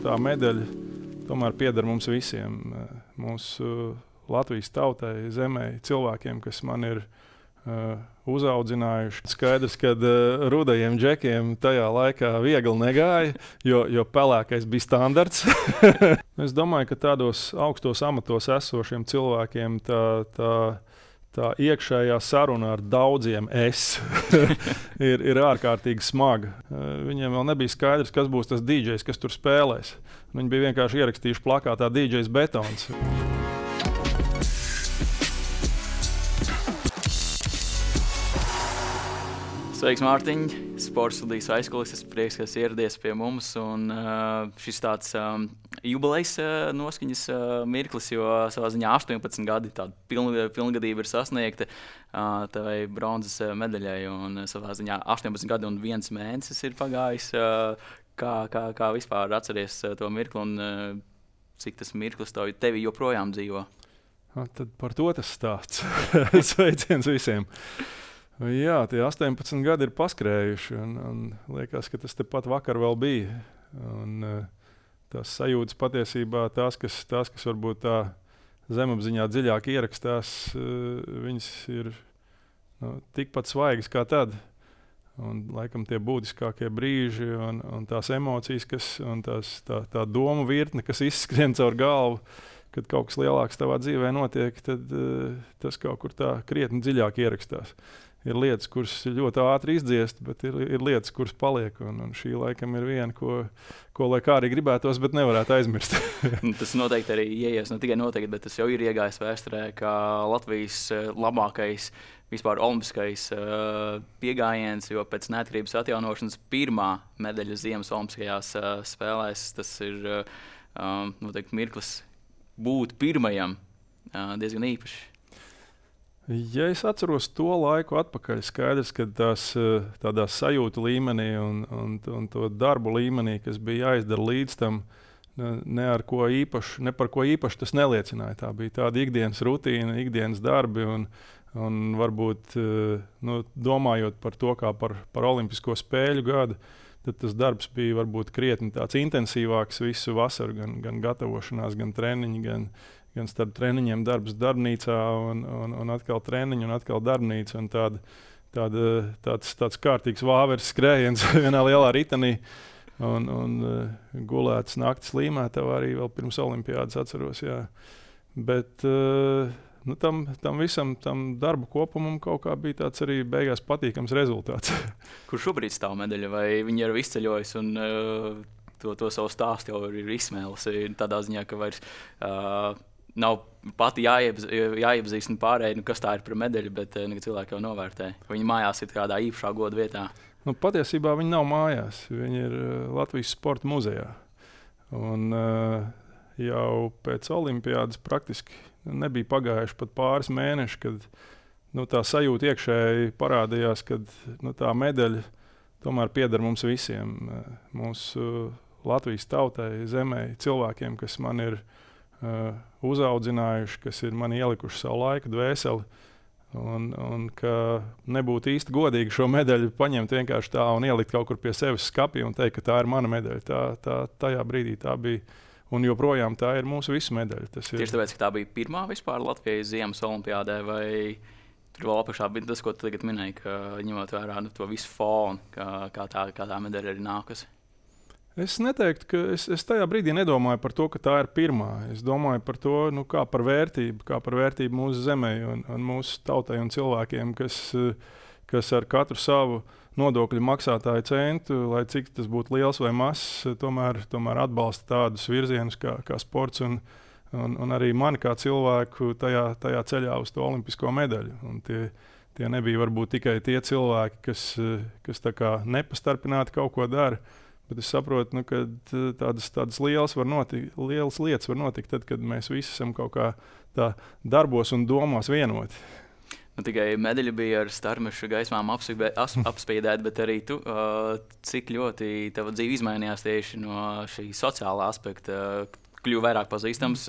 tā medaļa tomēr pieder mums visiem. Mūsu Latvijas tautai, zemē, cilvēkiem, kas man ir uzaudzinājuši. Skaidrs, ka rudajiem džekiem tajā laikā viegli negāja, jo pelēkais bija standarts. Es domāju, ka tādos augstos amatos esošiem cilvēkiem tā iekšējā saruna ar daudziem ir ārkārtīgi smaga. Viņiem vēl nebija skaidrs, kas būs tas DJs, kas tur spēlēs. Viņi bija vienkārši ierakstījuši plakātā DJs Betons. Sveiks, Mārtiņ! Sports studijas aizkulises. Prieks, ka esi ieradies pie mums. Un, šis tāds jubilejas noskaņas mirklis, jo savā ziņā 18 gadi tāda pilngadība ir sasniegta tavai bronzas medaļai. Un savā ziņā 18 gadi un 1 mēnesis ir pagājis. Kā vispār atceries to mirkli un cik tas mirklis tevi joprojām dzīvo? Tad par to tas stāsts. Sveiciens visiem! Jā, tie 18 gadi ir paskrējuši, un liekas, ka tas tepat vakar vēl bija. Un, tās sajūtas patiesībā, tās, kas varbūt tā zemapziņā dziļāk ierakstās, viņas ir tikpat svaigas kā tad. Un, laikam tie būtiskākie brīži un tās emocijas, un tā domu virkne, kas izskrien caur galvu, kad kaut kas lielāks tavā dzīvē notiek, tad tas kaut kur tā krietni dziļāk ierakstās. Ir lietas, kuras ļoti ātri izdziest, bet ir lietas, kuras paliek. Un šī laikam ir viena, ko lai kā arī gribētos, bet nevarētu aizmirst. Tas noteikti arī ieies, ne tikai noteikti, bet tas jau ir iegājis vēsturē, kā Latvijas labākais vispār olimpiskais piegājiens, jo pēc neatkarības atjaunošanas pirmā medaļa ziemas olimpiskajās spēlēs, tas ir noteikti mirklis būt pirmajam diezgan īpaši. Ja es atceros to laiku atpakaļ, skaidrs, ka tādā sajūtu līmenī un to darbu līmenī, kas bija jāizdara līdz tam, ne par ko īpaši tas neliecināja. Tā bija tāda ikdienas rutīna, ikdienas darbi un varbūt domājot par to kā par olimpisko spēļu gadu, tad tas darbs bija varbūt krietni tāds intensīvāks visu vasaru, gan gatavošanās, gan treniņi, gan starp treniņiem darbs darbnīcā un atkal treniņi un atkal darbnīca. Un tāds kārtīgs vāveres skrējiens vienā lielā ritenī un gulēts naktis līmētavā arī vēl pirms olimpiādas atceros. Jā. Bet tam visam, tam darbu kopumam kaut kā bija tāds arī beigās patīkams rezultāts. Kur šobrīd stāv medaļa? Vai viņi ir izceļojis un to savu stāstu jau ir izsmēlusi tādā ziņā, ka vairs nav pati jāiepazīstina pārējai, kas tā ir par medaļu, bet cilvēki jau novērtē. Viņi mājās ir kādā īpašā goda vietā. Patiesībā viņi nav mājās. Viņi ir Latvijas sporta muzejā. Un jau pēc olimpiādas praktiski nebija pagājuši pat pāris mēneši, kad tā sajūta iekšēji parādījās, ka tā medaļa tomēr pieder mums visiem. Mūsu Latvijas tautai, zemē, cilvēkiem, kas man ir uzaudzinājuši, kas ir mani ielikuši savu laiku, dvēseli, un ka nebūtu īsti godīgi šo medaļu paņemt vienkārši tā un ielikt kaut kur pie sevis skapī un teikt, ka tā ir mana medaļa. Tajā brīdī tā bija, un joprojām tā ir mūsu visu medaļa. Tieši tāpēc, ka tā bija pirmā vispār Latvijas ziemas olimpiādē, vai tur vēl apakšā bija tas, ko tu tagad minēji, ka ņemot vērā to visu fonu, kā tā medaļa arī nākas? Es neteiktu, ka es tajā brīdī nedomāju par to, ka tā ir pirmā. Es domāju par to, kā par vērtību mūsu zemē un mūsu tautai un cilvēkiem, kas ar katru savu nodokļu maksātāju centu, lai cik tas būtu liels vai mazs, tomēr atbalsta tādus virzienus kā sports un arī mani kā cilvēku tajā ceļā uz to olimpisko medaļu. Un tie nebija varbūt tikai tie cilvēki, kas tā kā nepastarpināti kaut ko dara. Bet es saprotu, ka tādas lielas lietas var notikt tad, kad mēs visi esam kaut kā tā darbos un domās vienoti. Tikai medaļa bija ar starmešu gaismām apspīdēta, bet arī tu, cik ļoti tava dzīve izmainījās tieši no šī sociālā aspekta, kļuva vairāk pazīstams,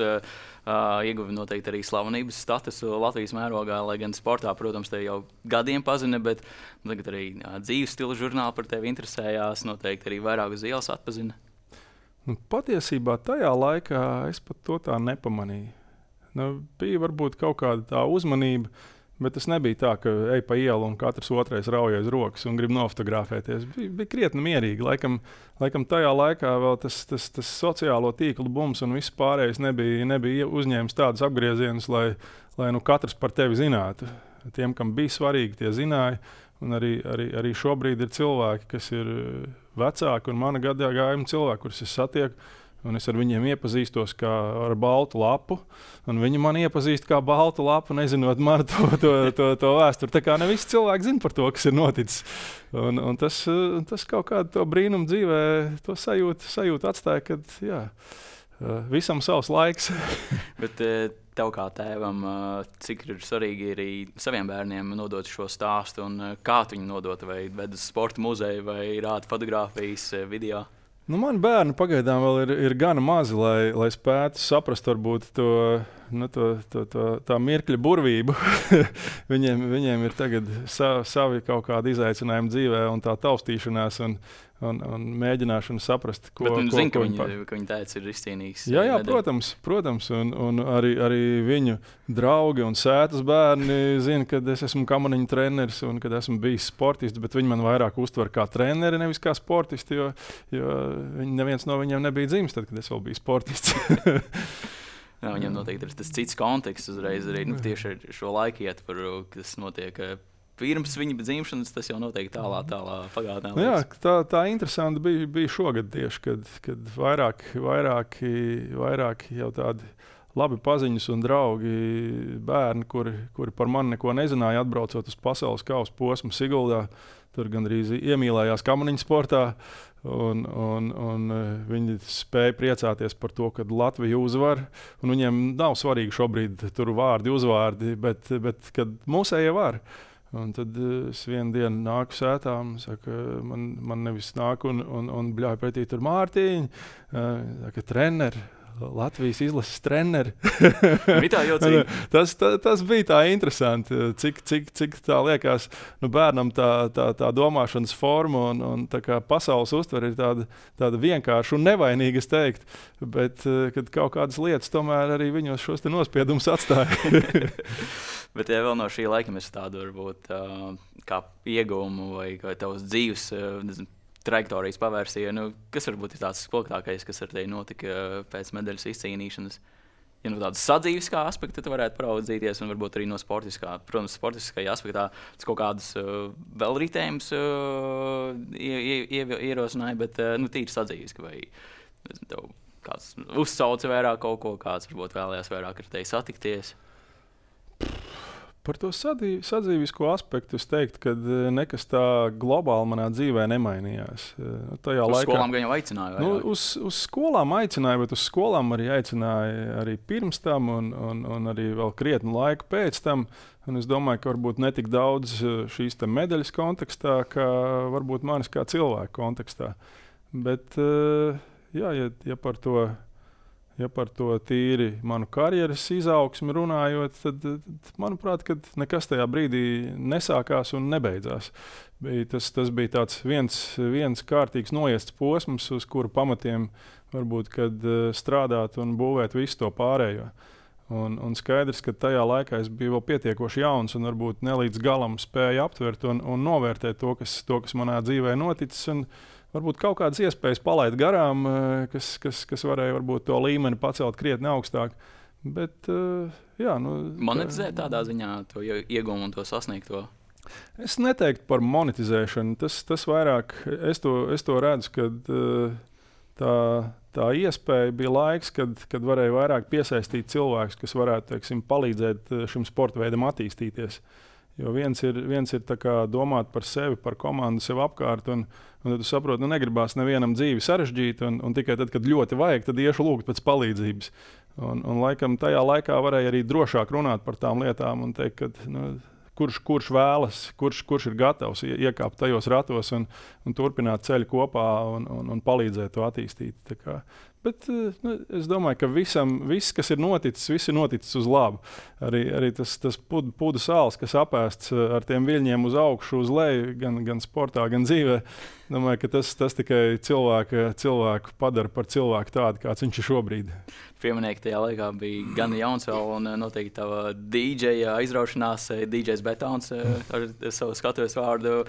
ieguva noteikti arī slavenības statusu Latvijas mērogā, lai gan sportā, protams, te jau gadiem pazina, bet tagad arī dzīves stila žurnāli par tevi interesējās, noteikti arī vairāk uz ielas atpazina. Patiesībā tajā laikā es pat to tā nepamanīju. Bija varbūt kaut kāda tā uzmanība, bet tas nebija tā, ka ej pa ielu un katrs otrais rauj aiz rokas un grib nofotografēties. Bija krietni mierīgi. Laikam tajā laikā vēl tas sociālo tīklu bums un viss pārējais nebija uzņēmis tādus apgriezienus, lai katrs par tevi zinātu. Tiem, kam bija svarīgi, tie zināja. Un arī šobrīd ir cilvēki, kas ir vecāki un mana gadagājuma cilvēki, kurus es satieku. Un es ar viņiem iepazīstos kā ar baltu lapu, un viņi man iepazīst kā baltu lapu, nezinot man to vēsturi. Tā kā ne visi cilvēki zina par to, kas ir noticis. Un tas kaut kādu to brīnumu dzīvē, to sajūtu atstāja, kad visam savs laiks. Bet tev kā tēvam, cik ir svarīgi arī saviem bērniem nodot šo stāstu, un kā tu viņu nodot, vai ved uz sporta muzeju, vai rāda fotogrāfijas, video? Mani bērni pagaidām vēl ir gana mazi, lai spētu saprast varbūt tā mirkļa burvību. Viņiem ir tagad savi kaut kādi izaicinājumi dzīvē un tā taustīšanās un mēģināšana saprast, ko viņi zina, ka viņa tēvs ir izcīnījis. Jā, protams. Un arī viņu draugi un sētas bērni zina, ka es esmu kamaniņu treneris un kad esmu bijis sportists, bet viņi man vairāk uztver kā treneri, nevis kā sportisti, jo neviens no viņiem nebija dzimis tad, kad es vēl biju sportists. Jā, viņam noteikti ir tas cits konteksts uzreiz arī tieši ar šo laiku ietvaru, kas notiek pirms viņa dzimšanas, tas jau noteikti tālā pagātnē. Jā, tā interesanti bija šogad tieši, kad vairāk jau tādi labi paziņas un draugi bērni, kuri par mani neko nezināja, atbraucot uz pasaules kausa posmu Siguldā, tur gandrīz iemīlējās kamaniņu sportā. Un viņi spēja priecāties par to, ka Latvija uzvar. Viņiem nav svarīgi šobrīd tur vārdi, uzvārdi, bet kad mūsējie var. Un tad es vienu dienu nāku sētā un saku, man nevis nāk un bļauj pretī tur Mārtiņi, treneri. Latvijas izlases treneri. tas bija tā interesanti, cik tā liekas bērnam tā domāšanas forma un tā kā pasaules uztvere ir tāda vienkārša un nevainīga, es teiktu, bet kad kaut kādas lietas tomēr arī viņos šos te nospiedumus atstāja. Bet ja vēl no šī laika mēs tādu varbūt kā ieguvumu vai tavas dzīves trajektorijas pavērsīja, kas varbūt ir tāds spilgtākais, kas ar tevi notika pēc medaļas izcīnīšanas? Ja tādas sadzīviskā aspekta tu varētu paraudzīties, un varbūt arī no sportiskā, protams, sportiskajā aspektā tas kaut kādus vēl ritējumus ierosināja, bet tīri sadzīviski, vai tev kāds uzsauca vairāk kaut ko, kāds varbūt vēlējās vairāk ar tevi satikties? Par to sadzīvisko aspektu es teiktu, ka nekas tā globāli manā dzīvē nemainījās. Uz skolām gan jau aicināja? Uz skolām aicināja, bet uz skolām arī aicināja arī pirms tam un arī vēl krietnu laiku pēc tam. Un es domāju, ka varbūt ne tik daudz šīs medaļas kontekstā, kā varbūt manis kā cilvēka kontekstā. Bet ja par to tīri manu karjeras izaugsmi runājot, tad, manuprāt, kad nekas tajā brīdī nesākās un nebeidzās. Tas bija tāds viens kārtīgs noiests posms, uz kuru pamatiem varbūt, kad strādāt un būvēt visu to pārējo. Un skaidrs, ka tajā laikā es biju vēl pietiekoši jauns un varbūt ne līdz galam spēju aptvert un novērtēt to, kas manā dzīvē noticis. Un varbūt kaut kādas iespējas palaid garām, kas varēja varbūt to līmeni pacelt krietni augstāk. Bet, monetizēt tādā ziņā to ieguvumu un to sasniegto? Es neteiktu par monetizēšanu. Tas vairāk, es to redzu, kad tā iespēja bija laiks, kad varēja vairāk piesaistīt cilvēkus, kas varētu, teiksim, palīdzēt šim sporta veidam attīstīties. Jo viens ir tā kā domāt par sevi, par komandu, sev apkārt, un tad tu saproti, negribās nevienam dzīvi sarežģīt, un tikai tad, kad ļoti vajag, tad iešu lūgt pēc palīdzības. Un laikam tajā laikā varēja arī drošāk runāt par tām lietām un teikt, ka, kurš vēlas, kurš ir gatavs iekāpt tajos ratos un turpināt ceļu kopā un palīdzēt to attīstīt. Bet es domāju, ka viss, kas ir noticis uz labu. Arī tas pudu sāls, kas apēsts ar tiem viļņiem uz augšu, uz leju, gan sportā, gan dzīvē. Domāju, ka tas tikai cilvēku padara par cilvēku tādu, kāds viņš ir šobrīd. Pieminēji, ka tajā laikā bija gan jauns vēl, un noteikti tava DJ aizraušanās, DJs Betons ar savu skatuves vārdu.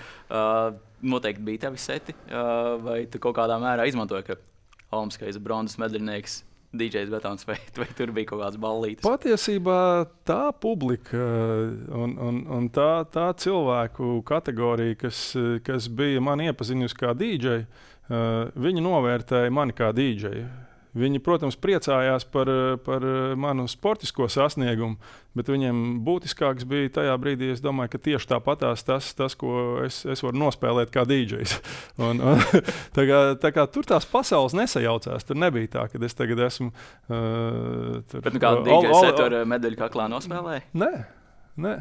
Noteikti bija tevi seti, vai tu kaut kādā mērā izmantoji, ka olimpiskais bronzas medaļnieks DJs Betons, vai tur bija kaut kāds ballītis? Patiesībā tā publika un tā cilvēku kategorija, kas bija mani iepazinusi kā DJ, viņi novērtēja mani kā DJ. Viņi, protams, priecājās par manu sportisko sasniegumu, bet viņiem būtiskāks bija tajā brīdī, es domāju, ka tieši tāpatās tas, ko es varu nospēlēt kā DJs. Tā kā tur tās pasaules nesajaucās. Tur nebija tā, ka es tagad esmu... Bet kādu DJs ar medaļu kaklā nospēlēja? Nē.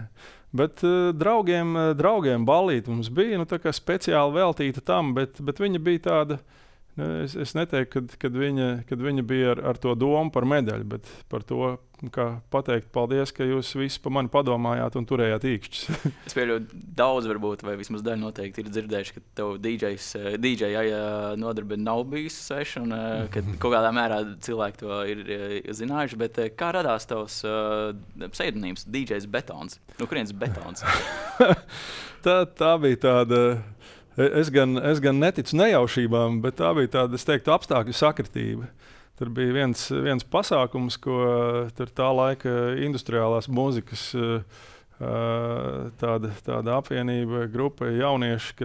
Bet draugiem ballīti mums bija tā kā speciāli veltīta tam, bet viņa bija tāda... Es neteiktu, kad viņa bija ar to domu par medaļu, bet par to, kā pateikt paldies, ka jūs visi par mani padomājāt un turējāt īkšķus. Es pieļauju daudz varbūt, vai vismaz daļa noteikti ir dzirdējuši, ka tev DJ nodarbe nav bijusi sveša un ka kaut kādā mērā cilvēki to ir zinājuši, bet kā radās tavs pseidonīms DJs Betons? No kurienes Betons? tā bija tāda... Es gan neticu nejaušībām, bet tā bija tāda, es teiktu, apstākļu sakritība. Tur bija viens pasākums, ko tur tā laika industriālās mūzikas tāda apvienība, grupa jaunieši,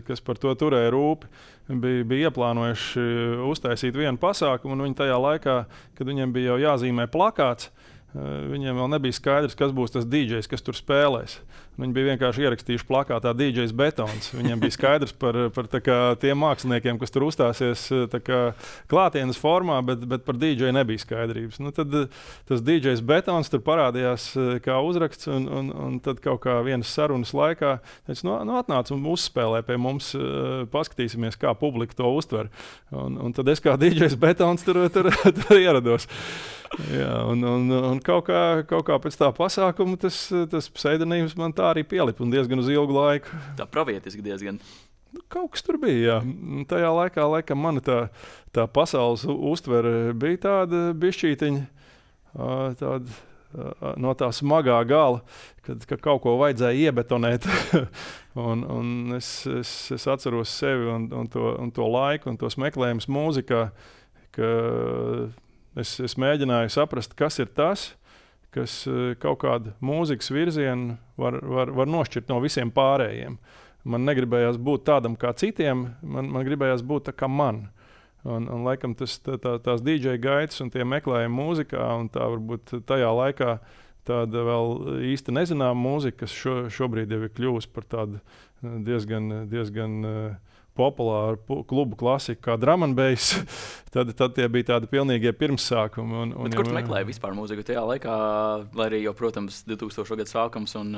kas par to turēja rūpi, bija ieplānojuši uztaisīt vienu pasākumu, un viņi tajā laikā, kad viņiem bija jau jāzīmē plakāts, viņiem vēl nebija skaidrs, kas būs tas DJs, kas tur spēlēs. Viņi bija vienkārši ierakstījuši plakātā DJs Betons. Viņiem bija skaidrs par tiem māksliniekiem, kas tur uzstāsies klātienes formā, bet par DJ nebija skaidrības. Tad tas DJs Betons tur parādījās kā uzraksts, un tad kaut kā vienas sarunas laikā teica, atnāc un uzspēlē pie mums, paskatīsimies, kā publika to uztver. Un tad es kā DJs Betons tur ierados. Jā, un kaut kā pēc tā pasākuma tas pseidonīms man tā arī pielipa un diezgan uz ilgu laiku. Tā pravietiski diezgan. Kaut kas tur bija, jā. Tajā laikā, laikam, mana tā pasaules uztvere bija tāda bišķītiņa, no tā smagā gala, kad kaut ko vajadzēja iebetonēt. un es atceros sevi un to laiku un tos meklējumus mūzikā, ka es mēģināju saprast, kas ir tas, kas kaut kādu mūzikas virzienu var nošķirt no visiem pārējiem. Man negribējās būt tādam kā citiem, man gribējās būt tā kā man. Un laikam tās DJ gaitas un tie meklējumi mūzikā, un tā varbūt tajā laikā tāda vēl īsti nezināma mūzika, kas šobrīd jau ir kļuvusi par tādu diezgan populāru klubu klasiku kā drum and bass, tad tie bija tādi pilnīgie pirmssākumi. Bet kur tu meklēji vispār mūziku tajā laikā, lai arī jau, protams, 2000. Gadu sākums un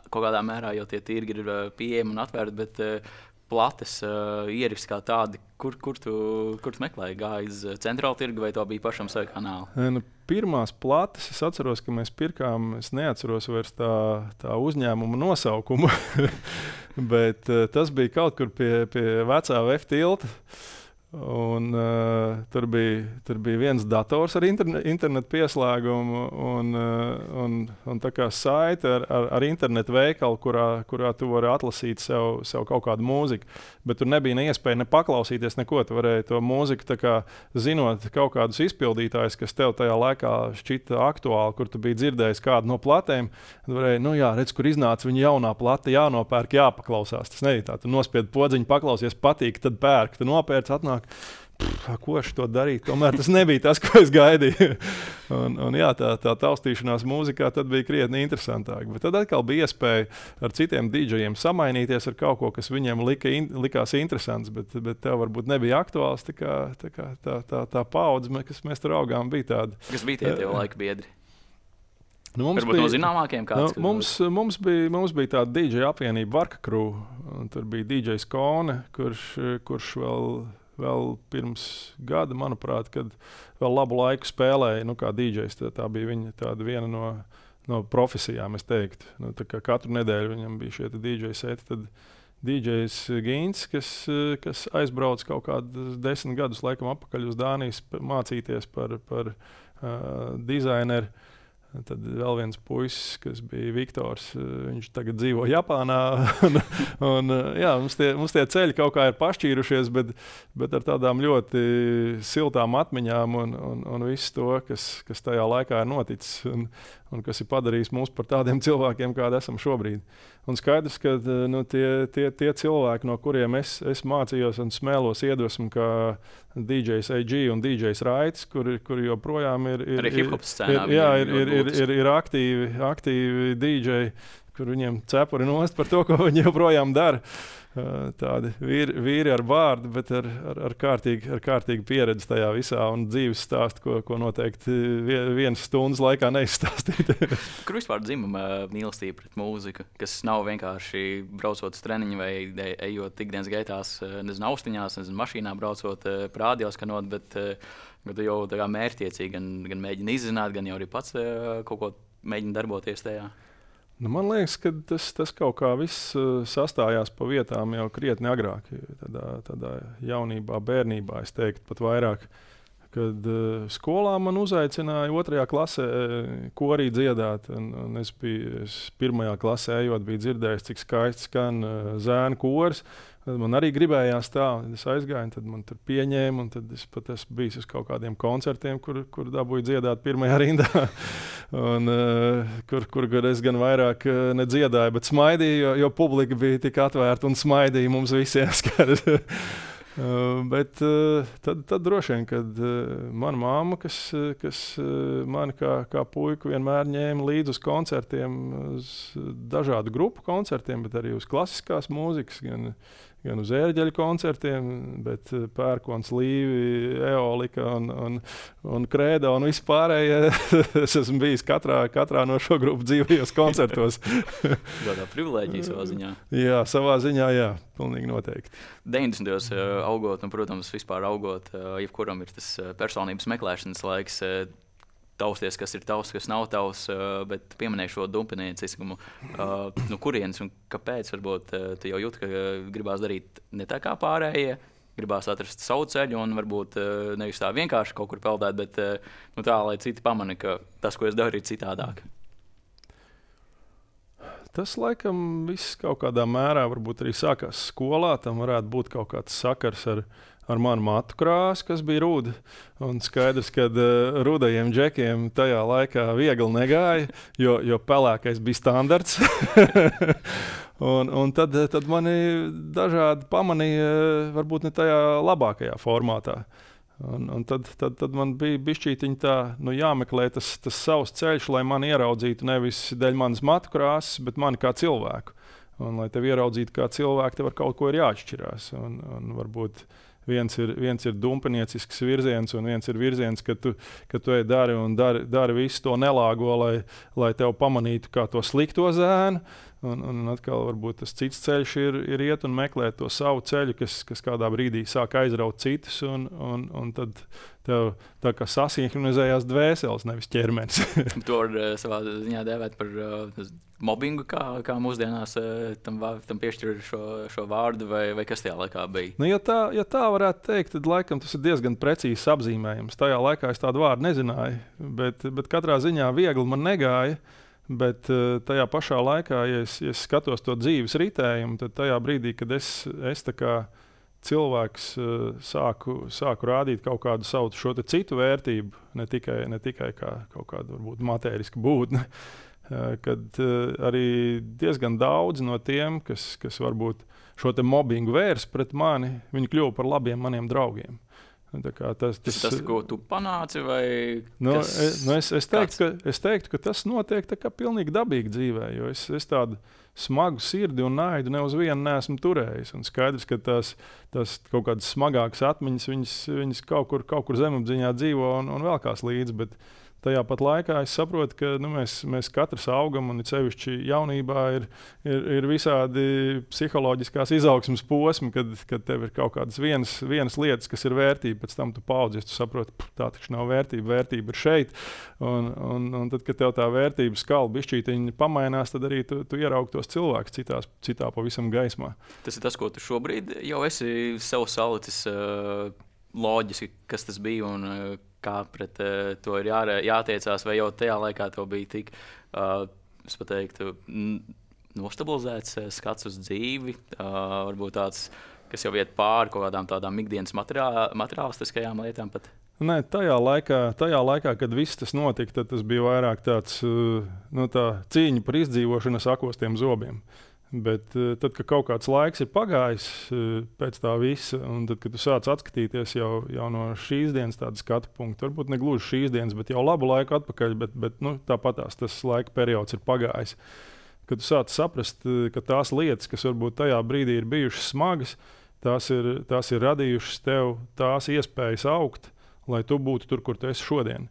kaut kādā mērā jau tie tirgi ir pieejami un atvērti, bet plates ieraksti kā tādi, kur tu meklēji? Gāji uz centrālu tirgu vai to bija pašam savu kanālu? Pirmās plates, es atceros, ka mēs pirkām, es neatceros vairs tā uzņēmuma nosaukumu, bet tas bija kaut kur pie vecā VF tilta. Un, tur bija viens dators ar internetu pieslēgumu un tā kā saite ar internetu veikalu, kurā tu vari atlasīt sev kaut kādu mūziku. Bet tur nebija ne iespēja ne paklausīties neko. Tu varēji to mūziku, tā kā, zinot kaut kādus izpildītājus, kas tev tajā laikā šķita aktuāli, kur tu biji dzirdējis kādu no platēm. Tu varēji, redz, kur iznāca viņa jaunā plata, jānopērk, jāpaklausās. Tas nebija tā. Tu nospied podziņu, paklausies, patīk, tad pērk. Tu nopērc, atnāk. Ko es to darīju? Tomēr tas nebija tas, ko es gaidīju. un jā, tā taustīšanās mūzikā tad bija krietni interesantāk. Bet tad atkal bija iespēja ar citiem DJiem samainīties ar kaut ko, kas viņiem likās interesants, bet tev varbūt nebija aktuāls. Tā paudze, kas mēs tur augām, bija tāda. Kas bija tie tev laika biedri? Varbūt no zināmākajiem kāds. Mums bija tāda DJ apvienība Varka Crew, un tur bija DJs Kone, kurš vēl pirms gada, manuprāt, kad vēl labu laiku spēlēja, kā DJs. Tā bija viņa tāda viena no profesijām, es teiktu. Tā kā katru nedēļu viņam bija šie DJ seti, tad DJs Gīns, kas aizbrauc kaut kādus 10 gadus laikam atpakaļ uz Dānijas mācīties par dizaineru. Tad vēl viens puisis, kas bija Viktors, viņš tagad dzīvo Japānā. Mums tie ceļi kaut kā ir pašķīrušies, bet ar tādām ļoti siltām atmiņām un visu to, kas tajā laikā ir noticis un kas ir padarījis mūs par tādiem cilvēkiem, kādi esam šobrīd. Un skaidrs, ka tie cilvēki, no kuriem es mācījos un smēlos iedvesmu, kā DJs AG un DJs Raitis, kuri joprojām ir hip-hop scēnā. Ir aktīvi DJ, kur viņiem cepuri nost par to, ko viņi joprojām dara. Tādi vīri ar vārdu, bet ar kārtīgu pieredzi tajā visā un dzīves stāstu, ko noteikti vienas stundas laikā neizstāstīt. Kur vispār dzimuma mīlestība pret mūziku, kas nav vienkārši braucot uz treniņu vai ejot ikdienas gaitās, nezinu, austiņās, nezinu, mašīnā braucot, radioskanot, bet tu jau tā kā mērķtiecīgi gan mēģini izzināt, gan jau arī pats kaut ko mēģini darboties tajā. Man liekas, ka tas kaut kā viss sastājās pa vietām jau krietni agrāk. Tādā jaunībā, bērnībā, es teiktu, pat vairāk. Kad skolā man uzaicināja 2. klasē korī dziedāt. Un es 1. klasē ejot, biju dzirdējis, cik skaisti skan zēnu koris. Man arī gribējās tā, es aizgāju, tad man tur pieņēma, un tad es pat esmu bijis uz kaut kādiem koncertiem, kur dabūju dziedāt pirmajā rindā. Un, kur es gan vairāk nedziedāju, bet smaidīju, jo publika bija tik atvērta un smaidīja mums visiem skaidrs. Bet tad droši vien, kad mana mamma, kas mani kā puiku vienmēr ņēma līdzi uz koncertiem, uz dažādu grupu koncertiem, bet arī uz klasiskās mūzikas, gan uz ērģeļu koncertiem, bet Pērkons, Līvi, Eolika un Krēda un vispārējie. Es esmu bijis katrā no šo grupu dzīvajos koncertos. Tādā privilēģija savā ziņā. Jā, savā ziņā, jā, pilnīgi noteikti. 90. augot, un, protams, vispār augot, jebkuram ir tas personības meklēšanas laiks, tausties, kas ir tavs, kas nav tavs, bet pieminēju šo dumpinieciskumu. No kurienes un kāpēc varbūt tu jau jūti, ka gribās darīt ne tā kā pārējie, gribās atrast savu ceļu un varbūt nevis tā vienkārši kaut kur peldēt, bet tā, lai citi pamana, ka tas, ko es daru, ir citādāk. Tas, laikam, viss kaut kādā mērā varbūt arī sākās skolā. Tam varētu būt kaut kāds sakars ar manu matu krāsu, kas bija ruda. Un skaidrs, ka rudajiem džekiem tajā laikā viegli negāja, jo pelēkais bija standarts. un tad mani dažādi pamanīja, varbūt ne tajā labākajā formātā. Un tad man bija bišķītiņa tā, jāmeklē tas savs ceļš, lai mani ieraudzītu nevis dēļ manas matu krāsas, bet mani kā cilvēku. Un, lai tevi ieraudzītu kā cilvēku, tev ar kaut ko ir jāatšķirās. Un varbūt viens ir dumpiniecisks virziens, un viens ir virziens, ka tu ej dari visu to nelāgo, lai tev pamanītu kā to slikto zēnu. Un atkal varbūt tas cits ceļš ir iet un meklēt to savu ceļu, kas kādā brīdī sāk aizraut citus, un tad tev tā kā sasinhronizējās dvēseles, nevis ķermenis. To var savā ziņā dēvēt par mobbingu, kā mūsdienās tam piešķir šo vārdu, vai kas tajā laikā bija? Ja tā varētu teikt, tad laikam tas ir diezgan precīzs apzīmējums. Tajā laikā es tādu vārdu nezināju, bet katrā ziņā viegli man negāja. Bet tajā pašā laikā, ja es skatos to dzīves ritējumu, tad tajā brīdī, kad es tā kā cilvēks sāku rādīt kaut kādu savu šo citu vērtību, ne tikai kā kaut kādu varbūt matērisku būtni, kad arī diezgan daudz no tiem, kas varbūt šo te mobbingu vērs pret mani, viņi kļuva par labiem maniem draugiem. Tas, ko tu panāci, vai es teiktu, ka tas notiek tā kā pilnīgi dabīgi dzīvē, jo es tādu smagu sirdi un naidu ne uz vienu neesmu turējis. Un skaidrs, ka tās kaut kādas smagākas atmiņas, viņas kaut kur zemapziņā dzīvo un velkās līdzi, bet tajā pat laikā es saprotu, ka mēs katrs augam, un sevišķi jaunībā ir visādi psiholoģiskās izaugsmes posmi, kad tev ir kaut kādas vienas lietas, kas ir vērtība, pēc tam tu paudzies, tu saproti, tā taču nav vērtība, vērtība ir šeit. Un tad, kad tev tā vērtības skala bišķītiņa pamainās, tad arī tu ieraugi tos cilvēkus citā pavisam gaismā. Tas ir tas, ko tu šobrīd jau esi sev salicis loģiski, kas tas bija un kā pret to ir jātiecās, vai jau tajā laikā to bija tik, es pat teiktu, nostabilizēts skats uz dzīvi, varbūt tāds, kas jau iet pāri kaut kādām tādām ikdienas materiālistiskajām lietām pat? Nē, tajā laikā, kad viss tas notika, tad tas bija vairāk tāds tā cīņa par izdzīvošanu sakostiem zobiem. Bet tad, kad kaut kāds laiks ir pagājis pēc tā visa, un tad, kad tu sāc atskatīties jau no šīs dienas tāda skatu punkta, varbūt ne gluži šīs dienas, bet jau labu laiku atpakaļ, bet tāpatās tas laika periods ir pagājis. Kad tu sāc saprast, ka tās lietas, kas varbūt tajā brīdī ir bijušas smagas, tās ir radījušas tev tās iespējas augt, lai tu būtu tur, kur tu esi šodien.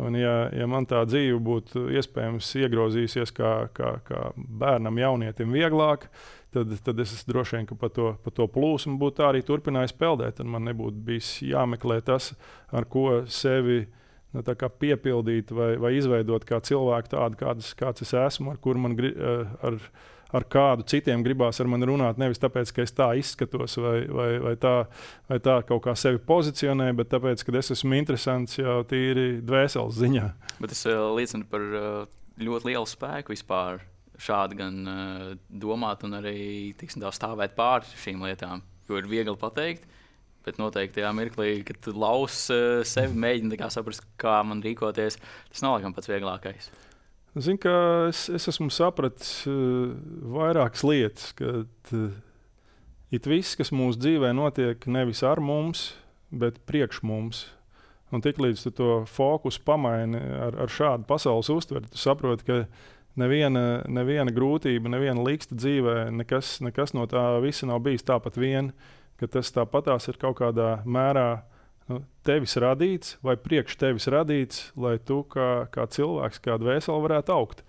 Un ja man tā dzīve būtu iespējams iegrozījusies kā bērnam, jaunietim vieglāk, tad es droši vien, ka pa to plūsmu būtu tā arī turpinājis peldēt. Un man nebūtu bijis jāmeklē tas, ar ko sevi piepildīt vai izveidot kā cilvēku tādu, kāds es esmu, ar kuru man ar kādu citiem gribās ar mani runāt, nevis tāpēc, ka es tā izskatos vai tā kaut kā sevi pozicionē, bet tāpēc, ka es esmu interesants jau tīri dvēseles ziņā. Bet tas liecina par ļoti lielu spēku vispār šādi gan domāt un arī stāvēt pār šīm lietām, jo ir viegli pateikt, bet noteikti tajā mirklī, kad tu laus sevi, mēģini saprast, kā man rīkoties, tas nav laikam pats vieglākais. Zinu, ka es esmu sapratis vairākas lietas, ka it viss, kas mūsu dzīvē notiek nevis ar mums, bet priekš mums. Un tiklīdz tu to fokusu pamaini ar šādu pasaules uztveri, tu saproti, ka neviena grūtība, neviena liksta dzīvē, nekas no tā visa nav bijis tāpat vien, ka tas tāpatās ir kaut kādā mērā tevis radīts vai priekš tevis radīts, lai tu kā cilvēks, kā dvēseli varētu augt.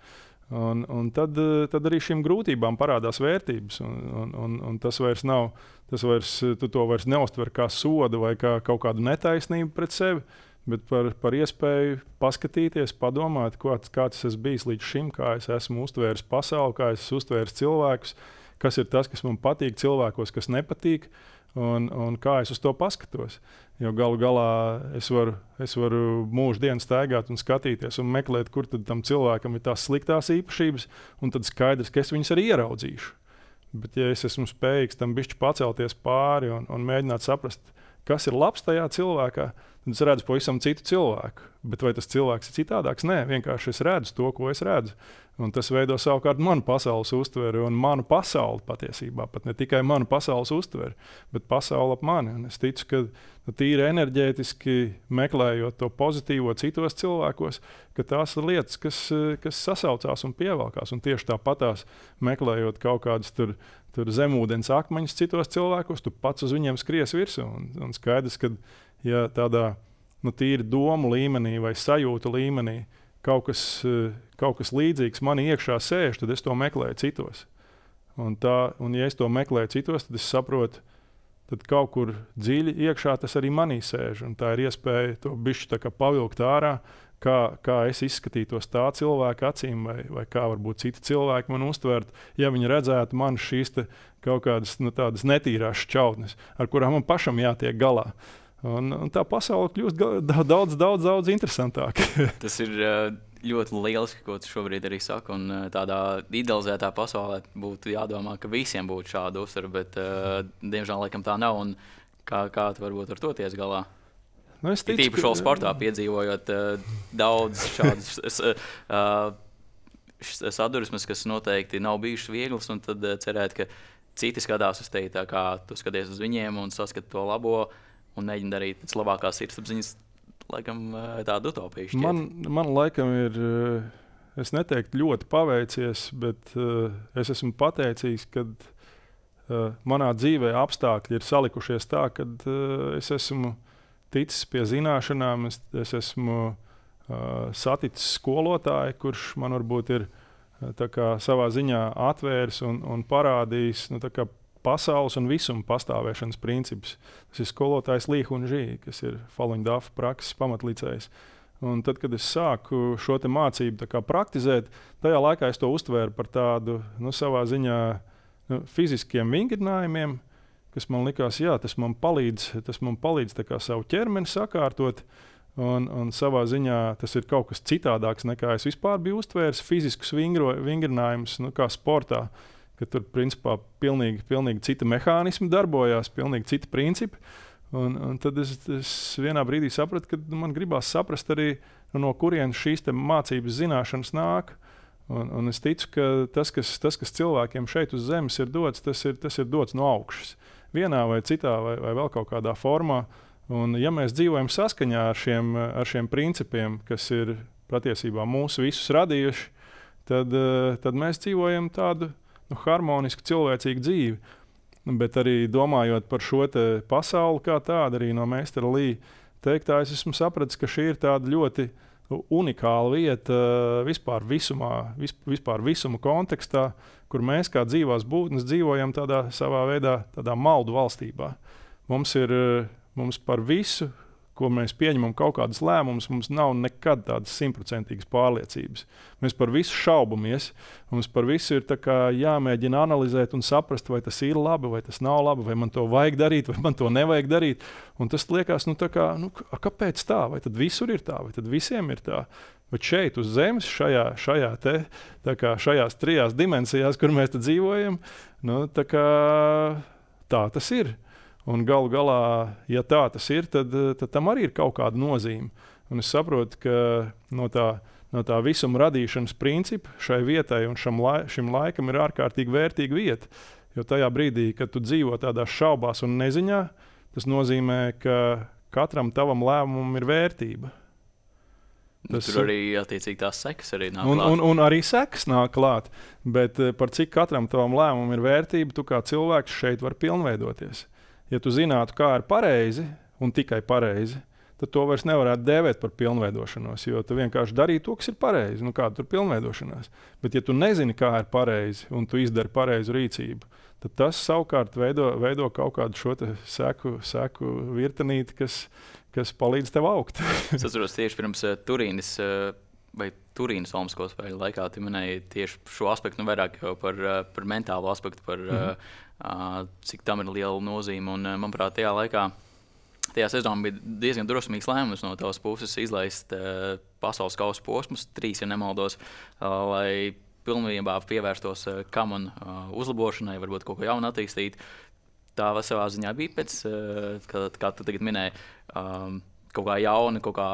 Un tad arī šīm grūtībām parādās vērtības. Un tas vairs nav, tu to vairs neuztver kā sodu vai kā kaut kādu netaisnību pret sevi, bet par iespēju paskatīties, padomāt, kāds es bijis līdz šim, kā es esmu uztvēris pasauli, kā es esmu uztvēris cilvēkus, kas ir tas, kas man patīk cilvēkos, kas nepatīk. Un kā es uz to paskatos. Jo galu galā es varu mūžu dienu staigāt un skatīties un meklēt, kur tad tam cilvēkam ir tās sliktās īpašības, un tad skaidrs, ka es viņus arī ieraudzīšu. Bet ja es esmu spējīgs tam bišķi pacelties pāri un mēģināt saprast, kas ir labs tajā cilvēkā, tad es redzu pavisam citu cilvēku. Bet vai tas cilvēks ir citādāks? Nē, vienkārši es redzu to, ko es redzu. Un tas veido savukārt manu pasaules uztveri un manu pasauli patiesībā. Pat ne tikai manu pasaules uztveri, bet pasauli ap mani. Un es ticu, ka tīri enerģētiski meklējot to pozitīvo citos cilvēkos, ka tās ir lietas, kas sasaucās un pievelkās. Un tieši tāpatās meklējot kaut kādus tur zemūdens akmeņus citos cilvēkos, tu pats uz viņiem skries virsū. Un skaidrs, ka ja tādā tīri domu līmenī vai sajūtu līmenī kaut kas līdzīgs manī iekšā sēž, tad es to meklēju citos. Un ja es to meklēju citos, tad es saprotu, tad kaut kur dziļi iekšā tas arī manī sēž. Un tā ir iespēja to bišķi pavilkt ārā, kā es izskatītos tā cilvēka acīm, vai kā varbūt citi cilvēki man uztvert, ja viņi redzētu man šīs kaut kādas tādas netīrās šķautnes, ar kurām man pašam jātiek galā. Un tā pasaule kļūst daudz interesantāka. Tas ir ļoti lieliski, ko tu šobrīd arī saki. Un tādā idealizētā pasaulē būtu jādomā, ka visiem būtu šāda uztvere, bet diemžēl laikam tā nav. Un kā tu varbūt ar to ties galā? Tīpaši vēl sportā piedzīvojot daudz šādas sadursmes, kas noteikti nav bijušas vieglas, un tad cerēt, ka citi skatās uz tevi tā, kā tu skaties uz viņiem un saskat to labo. Un mēģina darīt pēc labākās sirdsapziņas, laikam tādu utopiju šķiet. Man laikam ir, es neteiktu ļoti paveicies, bet es esmu pateicīgs, ka manā dzīvē apstākļi ir salikušies tā, ka es esmu ticis pie zināšanām, es esmu saticis skolotāju, kurš man varbūt ir tā kā savā ziņā atvērs un parādījis pasaules un visuma pastāvēšanas principus. Tas ir skolotājs Li Hunžī, kas ir Falun Dafa prakses pamatlicējs. Un tad, kad es sāku šo mācību praktizēt, tajā laikā es to uztvēru par tādu savā ziņā fiziskiem vingrinājumiem, kas man likās, jā, tas man palīdz savu ķermeni sakārtot. Un savā ziņā tas ir kaut kas citādāks, nekā es vispār biju uztvērs fiziskus vingrinājumus, kā sportā, ka tur principā pilnīgi cita mehānismi darbojās, pilnīgi citi principi. Un tad es vienā brīdī sapratu, ka man gribās saprast arī, no kurienes šīs mācības zināšanas nāk. Un es ticu, ka tas, kas cilvēkiem šeit uz zemes ir dots, tas ir dots no augšas. Vienā vai citā vai vēl kaut kādā formā. Un ja mēs dzīvojam saskaņā ar šiem principiem, kas ir patiesībā mūsu visus radījuši, tad mēs dzīvojam tādu harmonisku, cilvēcīgu dzīvi. Bet arī domājot par šo pasauli kā tādu, arī no meistara Lī teiktā, es esmu sapratis, ka šī ir tāda ļoti unikāla vieta vispār visuma kontekstā, kur mēs kā dzīvās būtnes dzīvojam tādā savā veidā, tādā maldu valstībā. Mums par visu, ko mēs pieņemam kaut kādas lēmumus, mums nav nekad tādas 100% pārliecības. Mēs par visu šaubamies. Mums par visu ir jāmēģina analizēt un saprast, vai tas ir labi, vai tas nav labi, vai man to vajag darīt, vai man to nevajag darīt. Un tas liekas, kāpēc tā? Vai tad visur ir tā, vai tad visiem ir tā? Bet šeit uz zemes, šajās trijās dimensijās, kur mēs dzīvojam, tā tas ir. Un galu galā, ja tā tas ir, tad tam arī ir kaut kāda nozīme. Un es saprotu, ka no tā visuma radīšanas principa šai vietai un šim laikam ir ārkārtīgi vērtīga vieta. Jo tajā brīdī, kad tu dzīvo tādās šaubās un neziņā, tas nozīmē, ka katram tavam lēmumam ir vērtība. Tur arī attiecīgi tās sekas arī nāk klāt. Un arī sekas nāk klāt. Bet par cik katram tavam lēmumam ir vērtība, tu kā cilvēks šeit var pilnveidoties. Ja tu zinātu, kā ir pareizi un tikai pareizi, tad to vairs nevarētu dēvēt par pilnveidošanos, jo tu vienkārši darīji to, kas ir pareizi. Kāda tur pilnveidošanās? Bet ja tu nezini, kā ir pareizi un tu izdari pareizu rīcību, tad tas savukārt veido kaut kādu šo seku virtenīti, kas palīdz tev augt. Es atceros tieši pirms Turīnas Olimpisko spēļu laikā tu minēji tieši šo aspektu, vairāk jau par mentālo aspektu, cik tam ir liela nozīme. Un, manuprāt, tajā sezonā bija diezgan drosmīgs lēmums no tavas puses izlaist pasaules kausa posmus, 3, ja nemaldos, lai pilnībā pievērstos kamanu uzlabošanai, varbūt kaut ko jaunu attīstīt. Tā savā ziņā bija pēc, kā tu tagad minēji, kaut kā jauna, kaut kā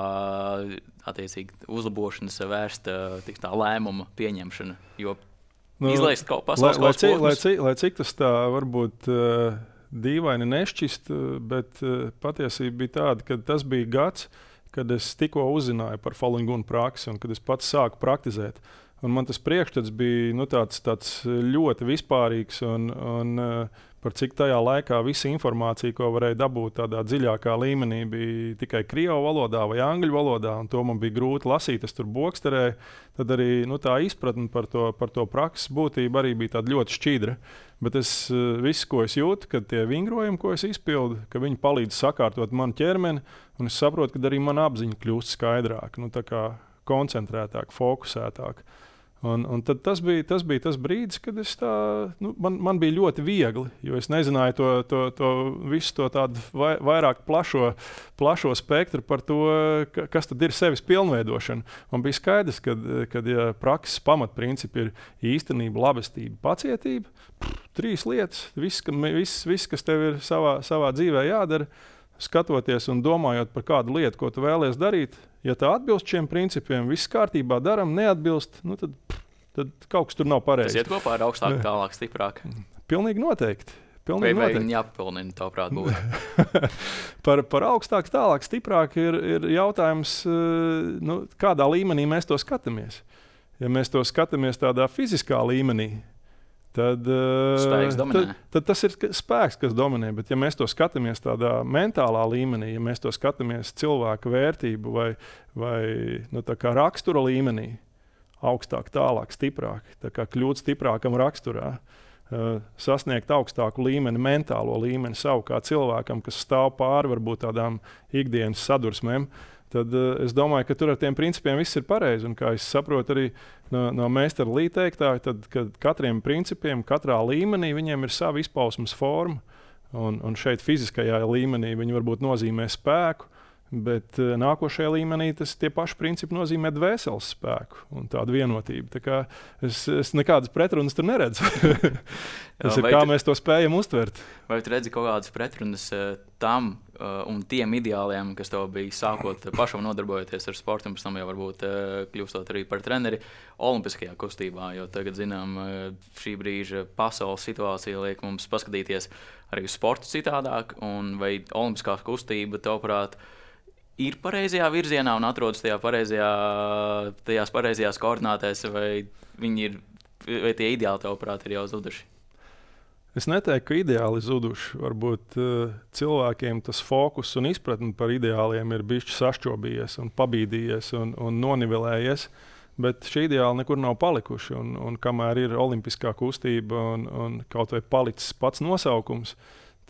attiecīgi uzlabošanas vērsta tā lēmuma pieņemšana. Jo izlaist kaut pasaules kausa posmus. Lai cik tas tā varbūt dīvaini nešķist, bet patiesība bija tāda, ka tas bija gads, kad es tikko uzzināju par Falun Gong praksi un kad es pats sāku praktizēt. Un man tas priekšstats bija tāds ļoti vispārīgs un par cik tajā laikā visa informācija, ko varēja dabūt tādā dziļākā līmenī, bija tikai krievu valodā vai angļu valodā, un to man bija grūti lasīt, es tur boksterēju. Tad arī tā izpratne par to prakses būtību arī bija tāda ļoti šķidra. Bet viss, ko es jūtu, kad tie vingrojumi, ko es izpildu, ka viņi palīdz sakārtot manu ķermeni, un es saprotu, ka arī mana apziņa kļūst skaidrāka, tā kā koncentrētāka, fokusētāka. Un tad tas bija tas brīdis, kad man bija ļoti viegli, jo es nezināju visu to tādu vairāk plašo spektru par to, kas tad ir sevis pilnveidošana. Man bija skaidrs, ka ja prakses pamatprincipi ir īstenība, labestība, pacietība, 3 lietas, viss, kas tev ir savā dzīvē jādara, skatoties un domājot par kādu lietu, ko tu vēlies darīt, ja tā atbilst šiem principiem, viss kārtībā daram, neatbilst, tad kaut kas tur nav pareizi. Tas iet kopā ar augstāk, tālāk, stiprāk. Pilnīgi noteikti. Vai viņi jāpapilnina, tavuprāt, būtu? par augstāk, tālāk, stiprāk ir jautājums, kādā līmenī mēs to skatāmies. Ja mēs to skatāmies tādā fiziskā līmenī, tad tas ir spēks, kas dominē. Bet, ja mēs to skatāmies tādā mentālā līmenī, ja mēs to skatāmies cilvēka vērtību vai tā kā rakstura līmenī, augstāk, tālāk, stiprāk, tā kā kļūt stiprākam raksturā, sasniegt augstāku līmeni, mentālo līmeni savu kā cilvēkam, kas stāv pāri varbūt tādām ikdienas sadursmēm, tad es domāju, ka tur ar tiem principiem viss ir pareizi. Un kā es saprotu arī no meistara Lī teiktā, tad katriem principiem, katrā līmenī viņiem ir sava izpausmes forma. Un šeit fiziskajā līmenī viņi varbūt nozīmē spēku, bet nākošajā līmenī tie paši principi nozīmē dvēseles spēku un tādu vienotību. Tā kā es nekādas pretrunas tur neredzu. Tas ir kā mēs to spējam uztvert. Vai tu redzi kaut kādas pretrunas tam un tiem ideāliem, kas tev bija sākot pašam nodarbojoties ar sportu, un pēc tam jau varbūt kļūstot arī par treneri olimpiskajā kustībā, jo tagad, zinām, šī brīža pasaules situācija liek mums paskatīties arī uz sportu citādāk, un vai olimpiskā kustība, tavuprāt, ir pareizajā virzienā un atrodas tajās pareizajās koordinātēs, vai tie ideāli, tavuprāt, ir jau zuduši? Es neteiktu, ka ideāli zuduši. Varbūt cilvēkiem tas fokus un izpratne par ideāliem ir bišķi sašķobījies un pabīdījies un nonivelējies, bet šī ideāli nekur nav palikuši. Un kamēr ir olimpiskā kustība un kaut vai palicis pats nosaukums,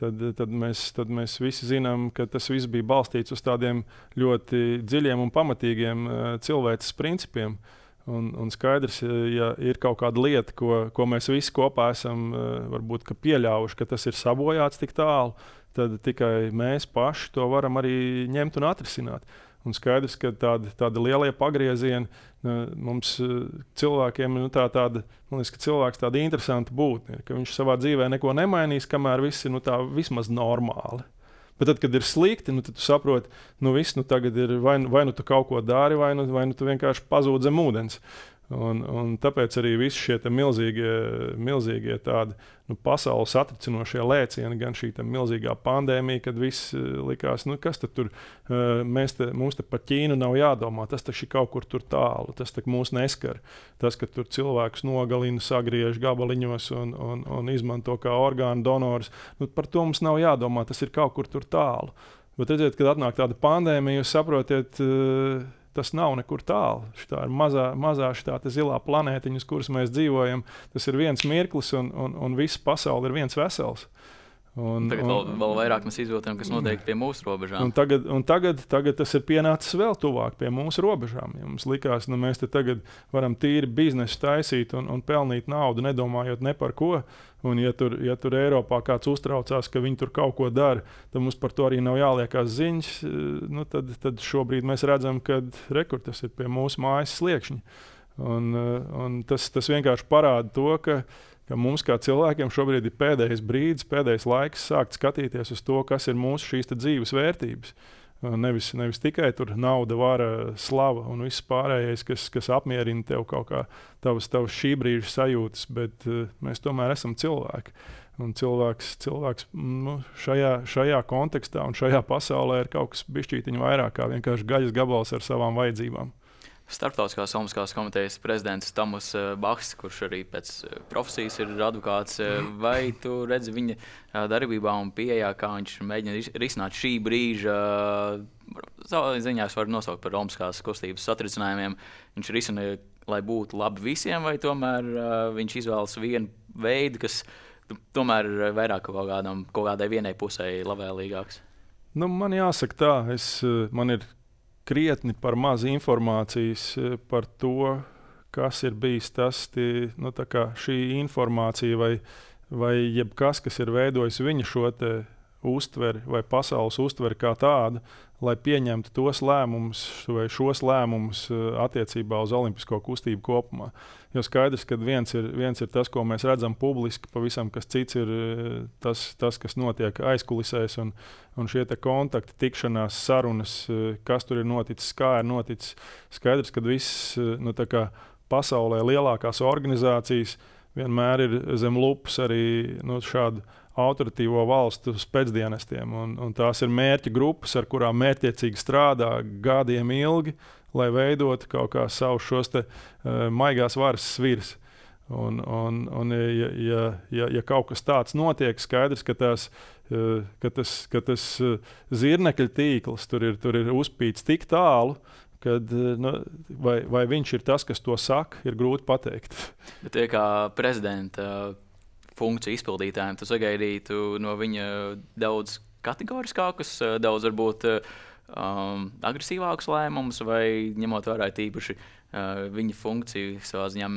tad mēs visi zinām, ka tas viss bija balstīts uz tādiem ļoti dziļiem un pamatīgiem cilvēces principiem. Un skaidrs, ja ir kaut kāda lieta, ko mēs visi kopā esam varbūt pieļāvuši, ka tas ir sabojāts tik tālu, tad tikai mēs paši to varam arī ņemt un atrisināt. Un skaidrs, ka tādi lielie pagriezieni mums cilvēkiem, man liekas, ka cilvēks tāda interesanta būtne, ka viņš savā dzīvē neko nemainīs, kamēr viss ir vismaz normāli. Bet tad, kad ir slikti, tad tu saproti, tagad ir vai nu tu kaut ko dari, vai nu tu vienkārši pazūd zem ūdens. Un tāpēc arī visi šie milzīgie tādi pasaules satricinošie lēcieni, gan šī milzīgā pandēmija, kad viss likās, kas tad tur, mums te par Ķīnu nav jādomā, tas taču ir kaut kur tur tālu, tas tak mūs neskar. Tas, ka tur cilvēkus nogalina, sagriež gabaliņos un izmanto kā orgānu donors, par to mums nav jādomā, tas ir kaut kur tur tālu. Bet redziet, kad atnāk tāda pandēmija, jūs saprotiet, tas nav nekur tālu. Tā ir mazā zilā planētiņa, uz kuras mēs dzīvojam. Tas ir viens mirklis, un visa pasaule ir viens vesels. Tagad vēl vairāk mēs izjūtam, kas notiek pie mūsu robežām. Tagad tas ir pienācis vēl tuvāk pie mūsu robežām. Ja mums likās, mēs te tagad varam tīri biznesu taisīt un pelnīt naudu, nedomājot ne par ko. Un ja tur Eiropā kāds uztraucās, ka viņi tur kaut ko dara, tad mums par to arī nav jāliekās ziņas. Tad šobrīd mēs redzam, ka tas ir pie mūsu mājas sliekšņa. Un tas vienkārši parāda to, ka mums kā cilvēkiem šobrīd ir pēdējais brīdis, pēdējais laiks sākt skatīties uz to, kas ir mūsu šīs dzīves vērtības. Nevis tikai tur nauda, vara, slava un viss pārējais, kas apmierina tev kaut kā tavas šī brīža sajūtas, bet mēs tomēr esam cilvēki. Un cilvēks šajā kontekstā un šajā pasaulē ir kaut kas bišķītiņ vairāk kā vienkārši gaļas gabals ar savām vajadzībām. Starptautiskās olimpiskās komitejas prezidents Tomas Bachs, kurš arī pēc profesijas ir advokāts, vai tu redzi viņa darbībā un pieejā, kā viņš mēģina risināt šī brīža, savā ziņā es varu nosaukt par olimpiskās kustības satricinājumiem, viņš risina, lai būtu labi visiem, vai tomēr viņš izvēlas vienu veidu, kas tomēr ir vairāk kaut kādai vienai pusē labvēlīgāks? Man jāsaka tā, man ir krietni par maz informācijas par to, kas ir bijis tas, šī informācija vai jebkas, kas ir veidojis viņa šo te uztveri vai pasaules uztveri kā tādu, lai pieņemtu tos lēmumus vai šos lēmumus attiecībā uz olimpisko kustību kopumā. Jo skaidrs, ka viens ir tas, ko mēs redzam publiski, pavisam kas cits ir tas kas notiek aizkulisēs un šie te kontakti, tikšanās, sarunas, kas tur ir noticis, kā ir noticis. Skaidrs, ka viss pasaulē lielākās organizācijas vienmēr ir zem lupas arī šādu autoritīvo valstu spēcdienestiem. Un tās ir mērķa grupas, ar kurām mērķiecīgi strādā gadiem ilgi, lai veidotu kaut kā savus šos te maigās varas svirs. Un ja kaut kas tāds notiek, skaidrs, ka tas zirnekļa tīkls tur ir uzpīts tik tālu, kad, vai viņš ir tas, kas to saka, ir grūti pateikt. Bet tie kā prezidenta funkciju izpildītājiem, tu sagaidītu no viņa daudz kategoriskākus, daudz varbūt agresīvākus lēmumus, vai ņemot vērā tīpaši viņa funkciju savā ziņā,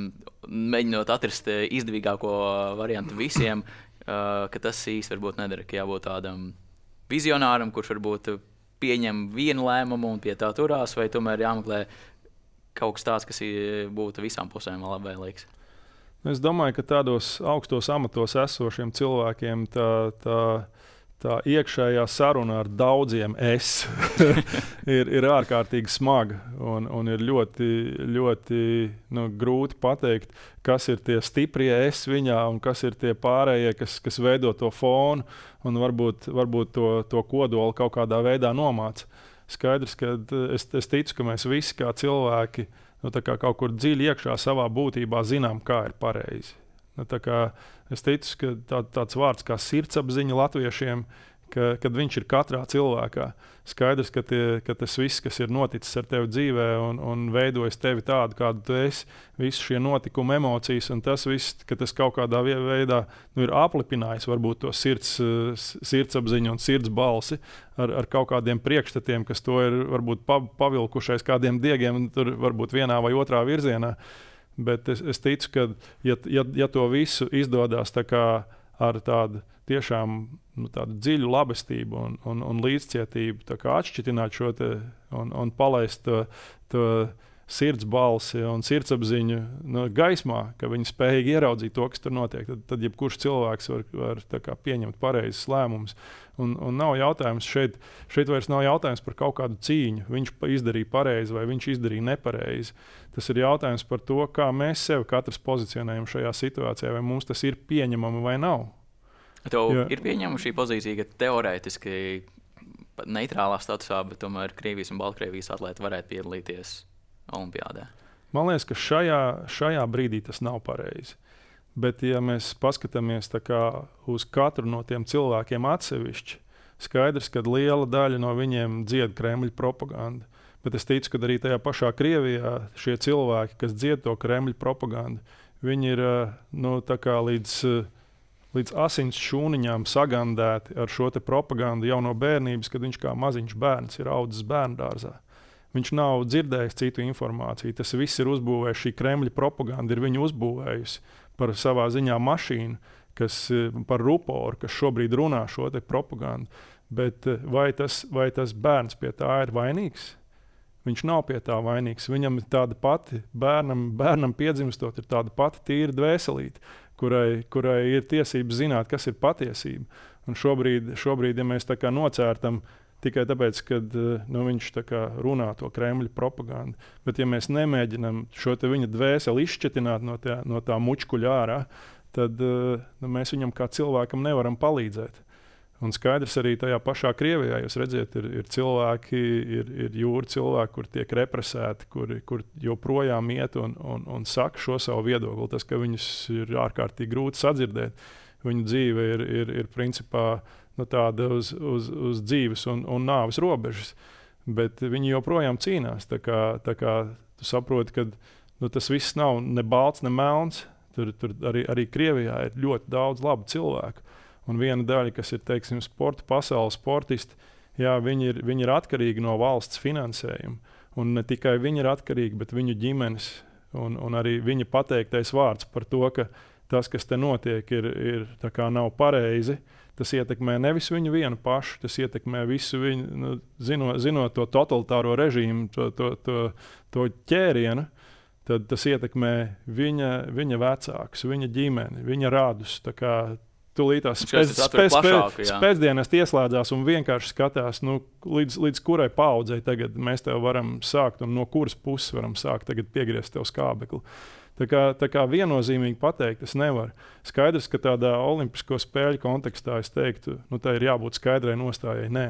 mēģinot atrast izdevīgāko variantu visiem, ka tas īsti varbūt nedara, ka jābūt tādam vizionāram, kurš varbūt pieņem vienu lēmumu un pie tā turās, vai tomēr jāmeklē kaut kas tāds, kas būtu visām pusēm labvēlīgs? Es domāju, ka tādos augstos amatos esošiem cilvēkiem tā iekšējā saruna ar daudziem ir ārkārtīgi smaga un ir ļoti grūti pateikt, kas ir tie stiprie viņā un kas ir tie pārējie, kas veido to fonu un varbūt to kodolu kaut kādā veidā nomāca. Skaidrs, ka es ticu, ka mēs visi kā cilvēki kā kaut kur dziļi iekšā savā būtībā zinām, kā ir pareizi. Es ticu, ka tāds vārds kā sirdsapziņa latviešiem, kad viņš ir katrā cilvēkā. Skaidrs, ka tas viss, kas ir noticis ar tevi dzīvē un veidojas tevi tādu, kādu tu esi, visi šie notikumi, emocijas un tas viss, ka tas kaut kādā veidā ir aplipinājis varbūt to sirdsapziņu un sirds balsi ar kaut kādiem priekšstatiem, kas to ir varbūt pavilkušais kādiem diegiem, tur varbūt vienā vai otrā virzienā. Bet es ticu, ka ja to visu izdodas ar tādu tiešām tādu dziļu labestību un līdzcietību atšķitināt šo un palaist to sirds balsi un sirdsapziņu gaismā, ka viņi spējīgi ieraudzīt to, kas tur notiek, tad jebkurš cilvēks var pieņemt pareizes lēmumus. Un nav jautājums šeit vairs nav jautājums par kaut kādu cīņu. Viņš izdarīja pareizi vai viņš izdarīja nepareizi. Tas ir jautājums par to, kā mēs sevi katrs pozicionējam šajā situācijā, vai mums tas ir pieņemami vai nav. Tev ir pieņemama šī pozīcija, ka teorētiski neitrālā statusā, bet tomēr Krievijas un Baltkrievijas atlēti varētu piedalīties Olimpiādē? Man liekas, ka šajā brīdī tas nav pareizi. Bet, ja mēs paskatāmies uz katru no tiem cilvēkiem atsevišķi, skaidrs, ka liela daļa no viņiem dzied Kremļa propagandu. Bet es ticu, ka arī tajā pašā Krievijā šie cilvēki, kas dzied to Kremļa propagandu, viņi ir līdz asins šūniņām sagandēti ar šo te propagandu jau no bērnības, kad viņš kā maziņš bērns ir audzis bērndārzā. Viņš nav dzirdējis citu informāciju. Tas viss ir uzbūvējis, šī Kremļa propaganda ir viņu uzbūvējusi par savā ziņā mašīnu, par ruporu, kas šobrīd runā šo te propagandu. Bet vai tas bērns pie tā ir vainīgs? Viņš nav pie tā vainīgs. Viņam ir tāda pati, bērnam piedzimstot, ir tāda pati tīra dvēselīte, kurai ir tiesības zināt, kas ir patiesība. Un šobrīd ja mēs nocērtam tikai tāpēc, ka viņš runā to Kremļa propagandu. Bet ja mēs nemēģinām šo viņa dvēseli izšķetināt no tā mučkuļa ārā, tad mēs viņam kā cilvēkam nevaram palīdzēt. Un skaidrs arī tajā pašā Krievijā, jūs redzat, ir cilvēki, ir jūra cilvēki, kur tiek represēti, kur joprojām iet un saka šo savu viedokli. Tas, ka viņus ir ārkārtīgi grūti sadzirdēt, viņu dzīve ir principā tāda uz dzīves un nāves robežas, bet viņi joprojām cīnās. Tā kā tu saproti, ka tas viss nav ne balts, ne melns. Tur arī Krievijā ir ļoti daudz labu cilvēku. Un viena daļa, kas ir, teiksim, sporta pasaules sportisti, jā, viņi ir atkarīgi no valsts finansējuma. Un ne tikai viņi ir atkarīgi, bet viņu ģimenes un arī viņa pateiktais vārds par to, ka tas, kas te notiek, ir nav pareizi. Tas ietekmē nevis viņu vienu pašu, tas ietekmē visu viņu, zinot to totalitāro režīmu, to ķērienu, tad tas ietekmē viņa vecākus, viņa ģimeni, viņa radus. Tūlītās pēcdienas ieslēdzās un vienkārši skatās, līdz kurai paudzei tagad mēs tev varam sākt un no kuras puses varam sākt tagad piegriezt tev skābekli. Tā kā viennozīmīgi pateikt, es nevaru. Skaidrs, ka tādā olimpisko spēļu kontekstā es teiktu, tā ir jābūt skaidrai nostājai. Nē.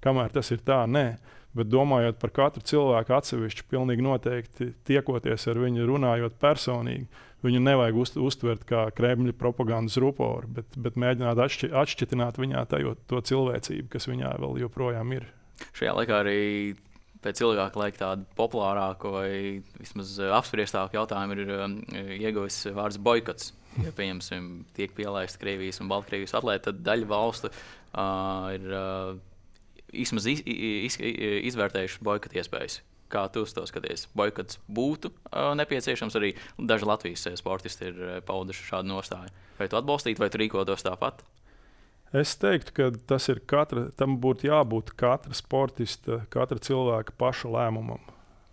Kamēr tas ir tā, nē. Bet domājot par katru cilvēku atsevišķi, pilnīgi noteikti tiekoties ar viņu, runājot personīgi, viņu nevajag uztvert kā Kremļa propagandas ruporu, bet mēģināt atšķitināt viņā to cilvēcību, kas viņā vēl joprojām ir. Šajā laikā arī pēc ilgāka laika tādu populārāku vai vismaz apspriestāku jautājumu ir ieguvis vārds boikots. Ja, pieņemsim, tiek pielaista Krievijas un Baltkrievijas atlēti, tad daļa valstu ir vismaz izvērtējuši boikota iespējas. Kā tu uz to skaties? Boikots būtu nepieciešams, arī daži Latvijas sportisti ir pauduši šādu nostāju. Vai tu atbalstītu, vai tu rīkotos tāpat? Es teiktu, ka tam būtu jābūt katra sportista, katra cilvēka paša lēmumam.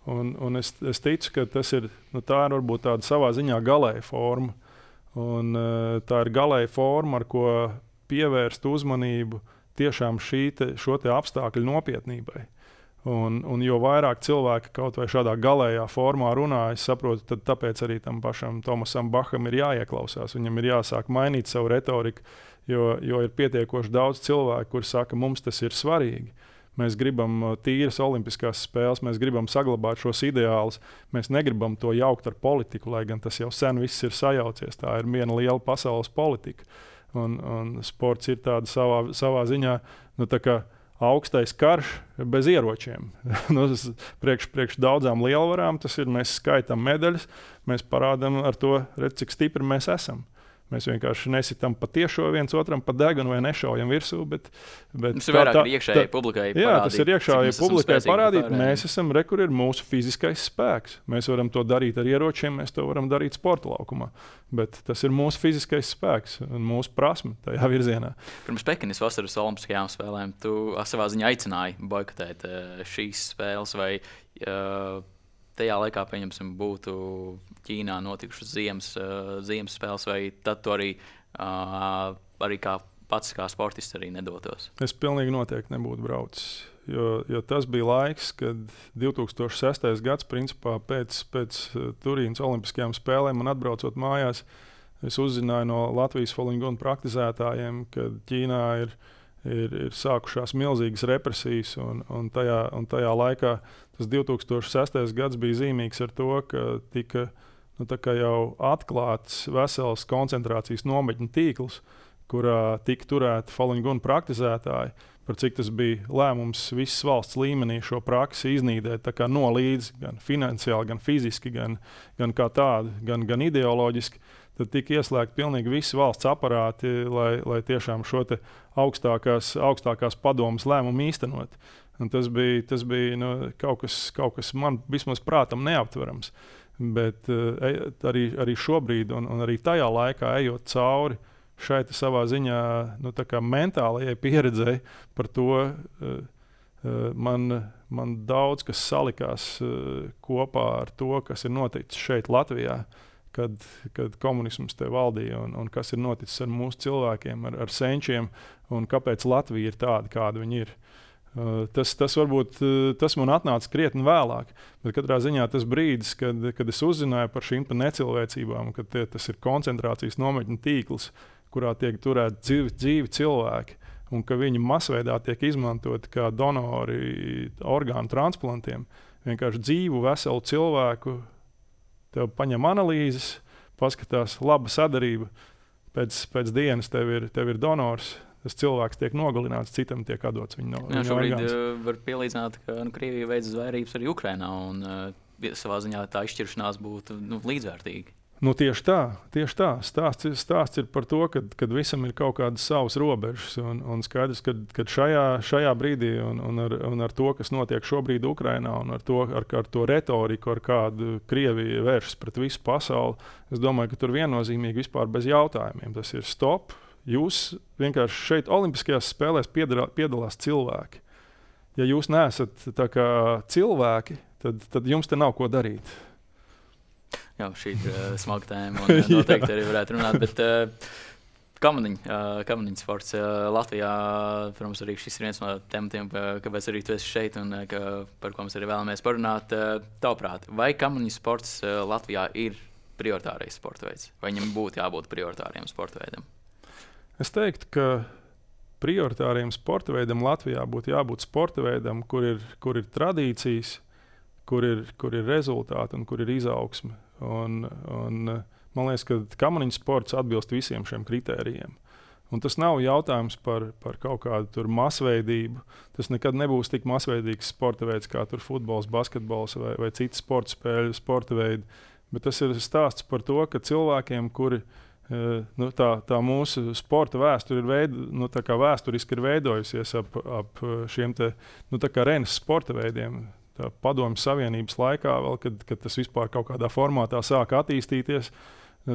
Un es ticu, ka tā ir varbūt tāda savā ziņā galēja forma. Un, tā ir galēja forma, ar ko pievērst uzmanību tiešām šo apstākļu nopietnībai. Un jo vairāk cilvēki kaut vai šādā galējā formā runā, es saprotu, tad tāpēc arī tam pašam Tomasam Baham ir jāieklausās. Viņam ir jāsāk mainīt savu retoriku, jo ir pietiekoši daudz cilvēku, kuri saka, mums tas ir svarīgi. Mēs gribam tīras olimpiskās spēles, mēs gribam saglabāt šos ideālus, mēs negribam to jaukt ar politiku, lai gan tas jau sen viss ir sajaucies. Tā ir viena liela pasaules politika. Un sports ir tāda savā ziņā, tā kā augstais karš bez ieročiem. Priekš daudzām lielvarām tas ir, mēs skaitām medaļas, mēs parādām ar to, cik stipri mēs esam. Mēs vienkārši nesitam pa tiešo viens otram pa degunu vai nešaujam virsū. Tas ir vairāk iekšējai publikai parādīt. Jā, tas ir iekšējai publikai parādīt. Mēs esam kur ir mūsu fiziskais spēks. Mēs varam to darīt ar ieročiem, mēs to varam darīt sporta laukumā. Bet tas ir mūsu fiziskais spēks un mūsu prasme tajā virzienā. Pirms Pekinas vasaras olimpiskajām spēlēm tu savā ziņā aicināji boikotēt šīs spēles vai tajā laikā, pieņemsim, būtu Ķīnā notikušas ziemas spēles, vai tad tu arī kā pats kā sportists arī nedotos? Es pilnīgi noteikti nebūtu braucis, jo tas bija laiks, kad 2006. gads, principā pēc Turīnas olimpiskajām spēlēm man atbraucot mājās, es uzzināju no Latvijas Falun Gong praktizētājiem, ka Ķīnā ir sākušās milzīgas represijas, un tajā laikā tas 2006. gads bija zīmīgs ar to, ka tika jau atklāts vesels koncentrācijas nometņu tīkls, kurā tika turēti Falun Gong praktizētāji, par cik tas bija lēmums visas valsts līmenī šo praksi iznīdēt nolīdz, gan finansiāli, gan fiziski, gan kā tādu, gan ideoloģiski. Tad tika ieslēgti pilnīgi visi valsts aparāti, lai tiešām šo te augstākās padomas lēmumu īstenot. Un tas bija kaut kas man vismaz prātam neaptverams. Bet arī šobrīd, un arī tajā laikā ejot cauri šai savā ziņā mentālajai pieredzei par to, man daudz kas salikās kopā ar to, kas ir noticis šeit Latvijā. Kad komunisms te valdīja un kas ir noticis ar mūsu cilvēkiem, ar senčiem, un kāpēc Latvija ir tāda, kāda viņa ir. Tas varbūt tas man atnāca krietni vēlāk, bet katrā ziņā tas brīdis, kad es uzzināju par šīm necilvēcībām, kad tas ir koncentrācijas nometņu tīkls, kurā tiek turēti dzīvi cilvēki, un ka viņi masveidā tiek izmantoti kā donori orgānu transplantiem, vienkārši dzīvu, veselu cilvēku. Tev paņem analīzes, paskatās, laba sadarība, pēc dienas tev ir donors, tas cilvēks tiek nogalināts, citam tiek atdots viņa orgāns. Šobrīd var pielīdzināt, ka Krievija veids zvērības arī Ukrainā, un savā ziņā tā izšķiršanās būtu līdzvērtīga. Tieši tā. Stāsts ir par to, ka visam ir kaut kādas savas robežas. Un skaidrs, ka šajā brīdī un ar to, kas notiek šobrīd Ukrainā, un ar to retoriku, ar kādu Krievija vēršas pret visu pasauli, es domāju, ka tur viennozīmīgi vispār bez jautājumiem. Tas ir stop. Jūs vienkārši šeit Olimpiskajās spēlēs piedalās cilvēki. Ja jūs neesat tā kā cilvēki, tad jums te nav ko darīt. Jā, šī ir smaga tēma, un noteikti arī varētu runāt, bet kamaniņu sports Latvijā, protams, arī šis ir viens no tematiem, kāpēc arī tu esi šeit un par ko mēs arī vēlamies parunāt. Tavuprāt, vai kamaniņu sports Latvijā ir prioritārais sporta veids, vai viņam būtu jābūt prioritāriem sporta veidam? Es teiktu, ka prioritāriem sporta veidam Latvijā būtu jābūt sporta veidam, kur ir tradīcijas, kur ir rezultāti un kur ir izaugsme. Un man liekas, ka kamaniņu sports atbilst visiem šiem kritērijiem. Un tas nav jautājums par kaut kādu masveidību. Tas nekad nebūs tik masveidīgs sporta veids kā futbols, basketbols vai citas sporta spēļu, sporta veidi. Bet tas ir stāsts par to, ka cilvēkiem, kuri tā mūsu sporta vēsture vēsturiski ir veidojusies ap šiem Renes sporta veidiem. Padomju Savienības laikā, vēl, kad tas vispār kaut kādā formātā sāka attīstīties,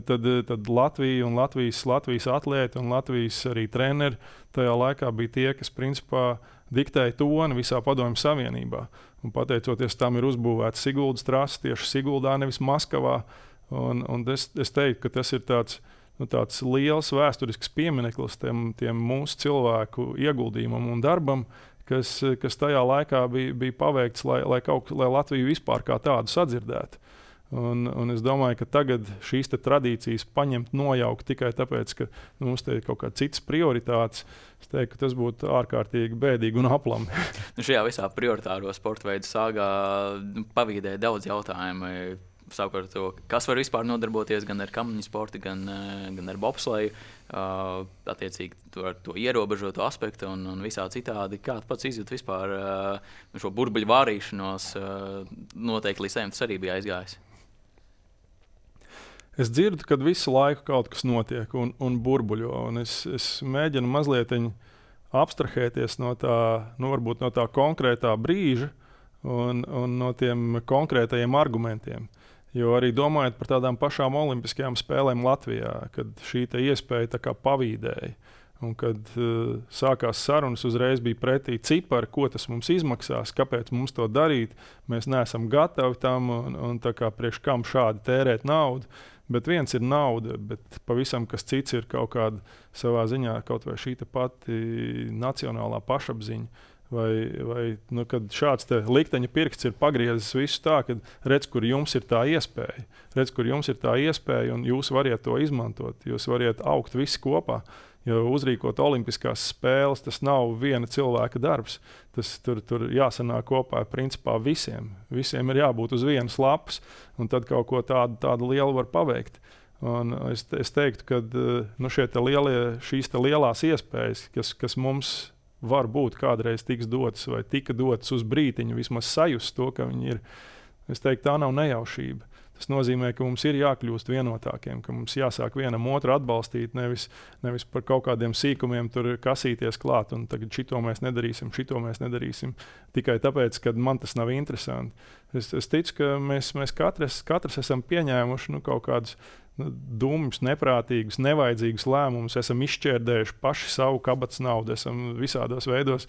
tad Latvija un Latvijas atlēti un Latvijas arī treneri tajā laikā bija tie, kas principā diktēja toni visā Padomju Savienībā. Un pateicoties tam ir uzbūvēta Siguldas trase tieši Siguldā, nevis Maskavā. Un es teiktu, ka tas ir tāds liels vēsturisks piemineklis tiem mūsu cilvēku ieguldījumam un darbam, kas tajā laikā bija paveikts, lai Latviju vispār kā tādu sadzirdētu. Un es domāju, ka tagad šīs tradīcijas paņemt, nojaukt tikai tāpēc, ka mums te ir kaut kādas citas prioritātes. Es teiktu, ka tas būtu ārkārtīgi bēdīgi un aplami. Šajā visā prioritāro sporta veidu sāgā pavīdēja daudz jautājumu. Savukārt, kas var vispār nodarboties gan ar kamaniņu sportu, gan ar bobsleju, attiecīgi ar to ierobežoto aspektu un visā citādi. Kā tu pats izjūti vispār šo burbuļu vārīšanos, noteikti līdz tas arī bija aizgājis? Es dzirdu, ka visu laiku kaut kas notiek un burbuļo, un es mēģinu mazliet abstrahēties no tā konkrētā brīža un no tiem konkrētajiem argumentiem. Jo arī domājot par tādām pašām olimpiskajām spēlēm Latvijā, kad šī iespēja tā kā pavīdēja, un kad sākās sarunas, uzreiz bija pretī cipari, ko tas mums izmaksās, kāpēc mums to darīt. Mēs neesam gatavi tam, un tā kā priekš kam šādi tērēt naudu. Bet viens ir nauda, bet pavisam kas cits ir kaut kāda savā ziņā, kaut vai šī pati nacionālā pašapziņa. Vai kad šāds likteņa pirksts ir pagriezis visu tā, ka redz, kur jums ir tā iespēja. Redz, kur jums ir tā iespēja, un jūs variet to izmantot. Jūs variet augt visi kopā. Jo uzrīkot olimpiskās spēles, tas nav viena cilvēka darbs. Tas tur jāsanāk kopā principā visiem. Visiem ir jābūt uz vienas lapas, un tad kaut ko tādu lielu var paveikt. Un es teiktu, ka šīs lielās iespējas, kas mums var būt kādreiz tiks dotas vai tika dotas uz brītiņu, vismaz sajust to, ka viņi ir. Es teiktu, tā nav nejaušība. Tas nozīmē, ka mums ir jākļūst vienotākiem, ka mums jāsāk vienam otru atbalstīt, nevis par kaut kādiem sīkumiem tur kasīties klāt, un tagad šito mēs nedarīsim, tikai tāpēc, ka man tas nav interesanti. Es ticu, ka mēs katrs esam pieņēmuši kaut kādus dumjus, neprātīgus, nevajadzīgus lēmumus, esam izšķērdējuši paši savu kabatas naudu, esam visādos veidos,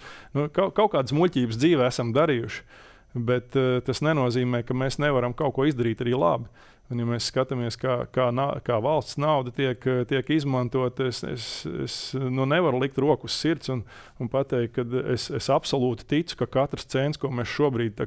kaut kādas muļķības dzīvē esam darījuši. Bet tas nenozīmē, ka mēs nevaram kaut ko izdarīt arī labi. Un, ja mēs skatāmies, kā valsts nauda tiek izmantot, es nevaru likt roku uz sirds un pateikt, ka es absolūti ticu, ka katrs cents, ko mēs šobrīd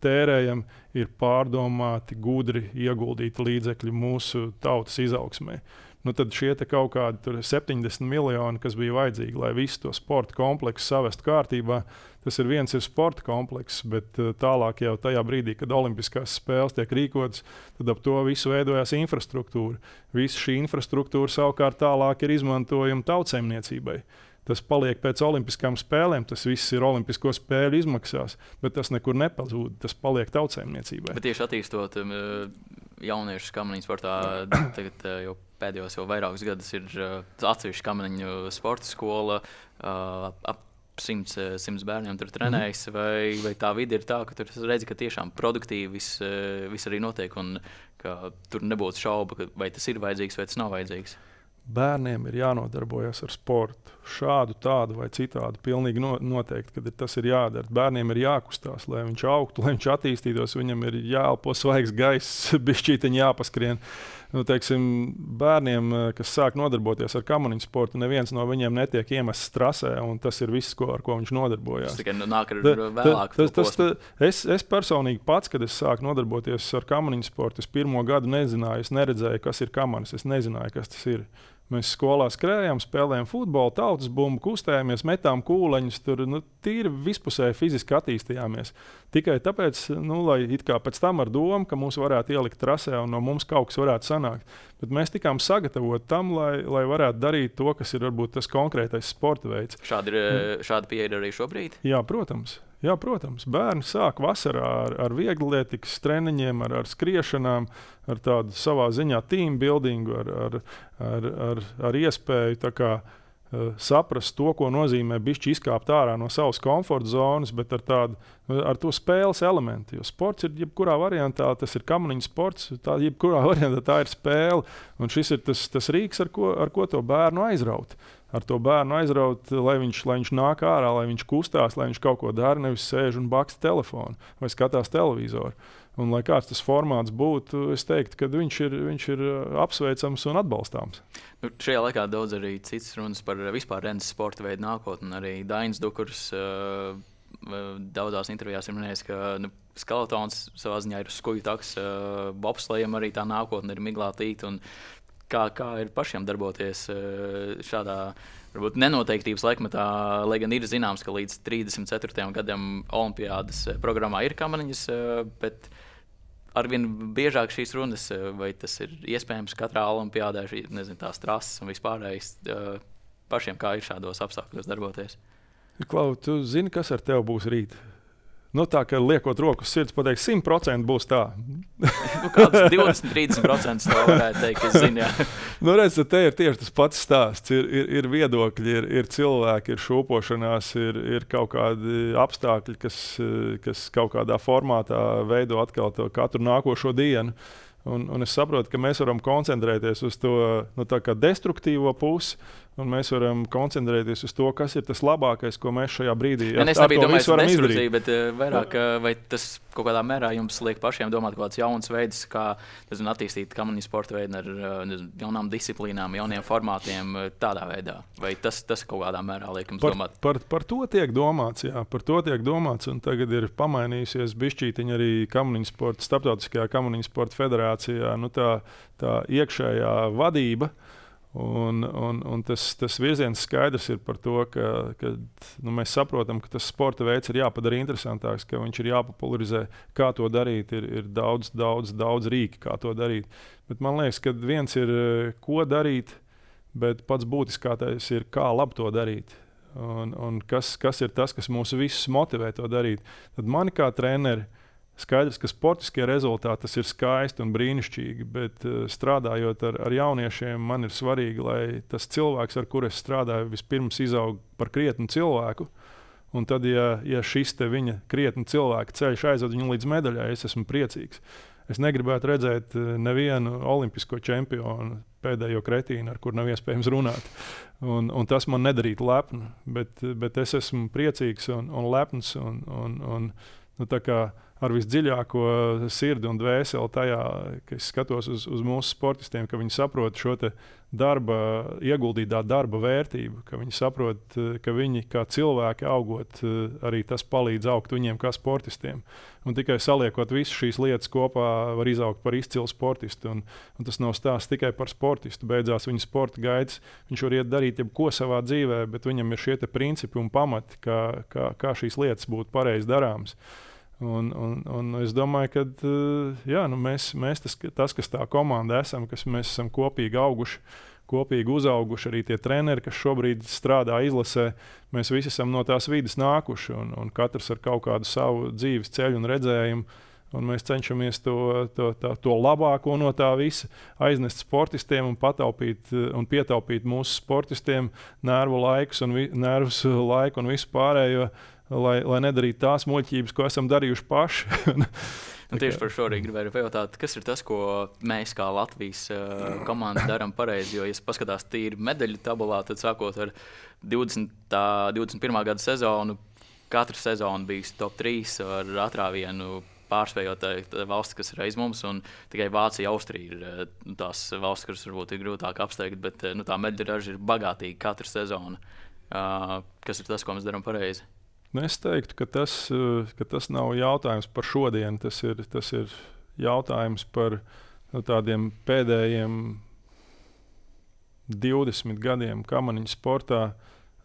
tērējam, ir pārdomāti, gudri ieguldīti līdzekļi mūsu tautas izaugsmē. Tad šie kaut kādi 70 miljoni, kas bija vajadzīgi, lai visu to sporta kompleksu savestu kārtībā, tas ir sporta komplekss, bet tālāk jau tajā brīdī, kad olimpiskās spēles tiek rīkotas, tad ap to visu veidojās infrastruktūra. Visa šī infrastruktūra savukārt tālāk ir izmantojama tautsaimniecībai. Tas paliek pēc olimpiskām spēlēm, tas viss ir olimpisko spēļu izmaksās, bet tas nekur nepazūd, tas paliek tautsaimniecībai. Bet tieši attīstot jauniešu kamaniņu sportā, tagad jau pēdējos vairākus gadus ir atsevišķa kamaniņu sporta skola, ap 100 bērniem tur trenējas, vai tā vide ir tā, ka tur redzi, ka tiešām produktīvi viss arī notiek, un ka tur nebūtu šauba, vai tas ir vajadzīgs, vai tas nav vajadzīgs. Bērniem ir jānodarbojas ar sportu. Šādu, tādu vai citādu. Pilnīgi noteikti, ka tas ir jādara. Bērniem ir jākustās, lai viņš augtu, lai viņš attīstītos. Viņam ir jāelpo svaigs gaiss, bišķītiņi jāpaskrien. Bērniem, kas sāk nodarboties ar kamaniņu sportu, neviens no viņiem netiek iemests trasē, un tas ir viss, ar ko viņš nodarbojās. Tas tikai nāk ar vēlāk. Es personīgi pats, kad es sāku nodarboties ar kamaniņu sportu, es pirmo gadu nezināju, es neredzēju, kas ir kamanis, es nezināju, kas tas ir. Mēs skolā skrējām, spēlējām futbolu, tautas bumbu, kustējāmies, metām kūleņus, tur tīri vispusēji fiziski attīstījāmies. Tikai tāpēc, lai it kā pēc tam ar domu, ka mūs varētu ielikt trasē un no mums kaut kas varētu sanākt. Bet mēs tikām sagatavoti tam, lai varētu darīt to, kas ir varbūt tas konkrētais sporta veids. Šāda pieeja ir arī šobrīd? Jā, protams. Bērni sāk vasarā ar viegllietikas treniņiem, ar skriešanām, ar tādu savā ziņā team buildingu, ar iespēju tā kā, saprast to, ko nozīmē bišķi izkāpt ārā no savas komforta zonas, bet ar to spēles elementu. Jo sports ir jebkurā variantā, tas ir kamaniņu sports, jebkurā variantā tā ir spēle. Un šis ir tas rīks, ar ko to bērnu aizraut. Ar to bērnu aizraut, lai viņš nāk ārā, lai viņš kustās, lai viņš kaut ko dara, nevis sēž un baksta telefonu vai skatās televizoru. Un, lai kāds tas formāts būtu, es teiktu, ka viņš ir apsveicams un atbalstāms. Šajā laikā daudz arī citas runas par vispār rennes sporta veidu nākotni. Arī Dainis Dukurs daudzās intervijās ir minējis, ka skeletons savā ziņā ir uz skuju taks, bobslejam arī tā nākotne ir miglātīta. Kā ir pašiem darboties šādā varbūt nenoteiktības laikmetā, lai gan ir zināms, ka līdz 34. gadam olimpiādas programmā ir kamaniņas, bet arvien biežāk šīs runas, vai tas ir iespējams katrā olimpiādē, tās trases un vispārējais, pašiem kā ir šādos apstākļos darboties? Klau, tu zini, kas ar tevi būs rīt? Tā kā liekot roku uz sirds, pateikt, 100% būs tā. Kāds 20-30% tā varētu teikt, es zinu, jā. Redz, te ir tieši tas pats stāsts. Ir viedokļi, ir cilvēki, ir šūpošanās, ir kaut kādi apstākļi, kas kaut kādā formātā veido atkal to katru nākošo dienu. Un es saprotu, ka mēs varam koncentrēties uz to tā kā destruktīvo pusi, un mēs varam koncentrēties uz to, kas ir tas labākais, ko mēs šajā brīdī varam izdarīt. Bet vairāk, vai tas kaut kādā mērā jums liek pašiem domāt kaut kāds jauns veids, kā attīstīt kamaniņu sporta veidu ar jaunām disciplīnām, jauniem formātiem tādā veidā? Vai tas kaut kādā mērā liek jums domāt? Par to tiek domāts, jā. Par to tiek domāts, un tagad ir pamainījusies bišķītiņa arī kamaniņu sporta, starptautiskajā kamaniņu sporta federācijā. Tā iekšējā vadība. Un tas virziens skaidrs ir par to, ka mēs saprotam, ka tas sporta veids ir jāpadara interesantāks, ka viņš ir jāpopularizē, kā to darīt. Ir daudz rīki, kā to darīt. Bet man liekas, ka viens ir, ko darīt, bet pats būtiskākais ir, kā labi to darīt. Un kas ir tas, kas mūs visus motivē to darīt. Tad mani kā treneri, skaidrs, ka sportiskie rezultāti tas ir skaisti un brīnišķīgi, bet strādājot ar jauniešiem, man ir svarīgi, lai tas cilvēks, ar kuru es strādāju, vispirms izaug par krietnu cilvēku. Un tad, ja šis te viņa krietnu cilvēka ceļš aizved viņu līdz medaļai, es esmu priecīgs. Es negribētu redzēt nevienu olimpisko čempionu pēdējo kretīnu, ar kur nav iespējams runāt. Un tas man nedarītu lepnu, bet es esmu priecīgs un lepns un tā kā ar visdziļāko sirdi un dvēseli tajā, ka es skatos uz mūsu sportistiem, ka viņi saprot šo te ieguldītā darba vērtību, ka viņi saprot, ka viņi kā cilvēki augot, arī tas palīdz augt viņiem kā sportistiem. Un tikai saliekot visas šīs lietas kopā, var izaugt par izcilu sportistu. Un tas nav stāsts tikai par sportistu. Beidzās viņa sporta gaitas, viņš var iet darīt jebko savā dzīvē, bet viņam ir šie te principi un pamati, kā šīs lietas būtu pareizi darāmas. Un es domāju, ka mēs tas, kas tā komanda esam, kas mēs esam kopīgi auguši, kopīgi uzauguši, arī tie treneri, kas šobrīd strādā izlasē, mēs visi esam no tās vides nākuši un katrs ar kaut kādu savu dzīves ceļu un redzējumu. Un mēs cenšamies to labāko no tā visa aiznest sportistiem un pataupīt un pietaupīt mūsu sportistiem nervu laiku un visu pārējo, lai nedarītu tās muļķības, ko esam darījuši paši. Tieši par šo arī gribēju pajautāt, kas ir tas, ko mēs kā Latvijas komanda darām pareizi. Jo, ja paskatās tīri medaļu tabulā, tad sākot ar 21. gada sezonu, katra sezona bijis top 3 ar atrāvienu pārspējot valsts, kas ir aiz mums. Tikai Vācija, Austrija ir tās valsts, kuras varbūt ir grūtāk apsteigt, bet tā medaļu raža ir bagātīga katra sezona. Kas ir tas, ko mēs darām pareizi? Es teiktu, ka tas nav jautājums par šodienu. Tas ir jautājums par tādiem pēdējiem 20 gadiem kamaniņu sportā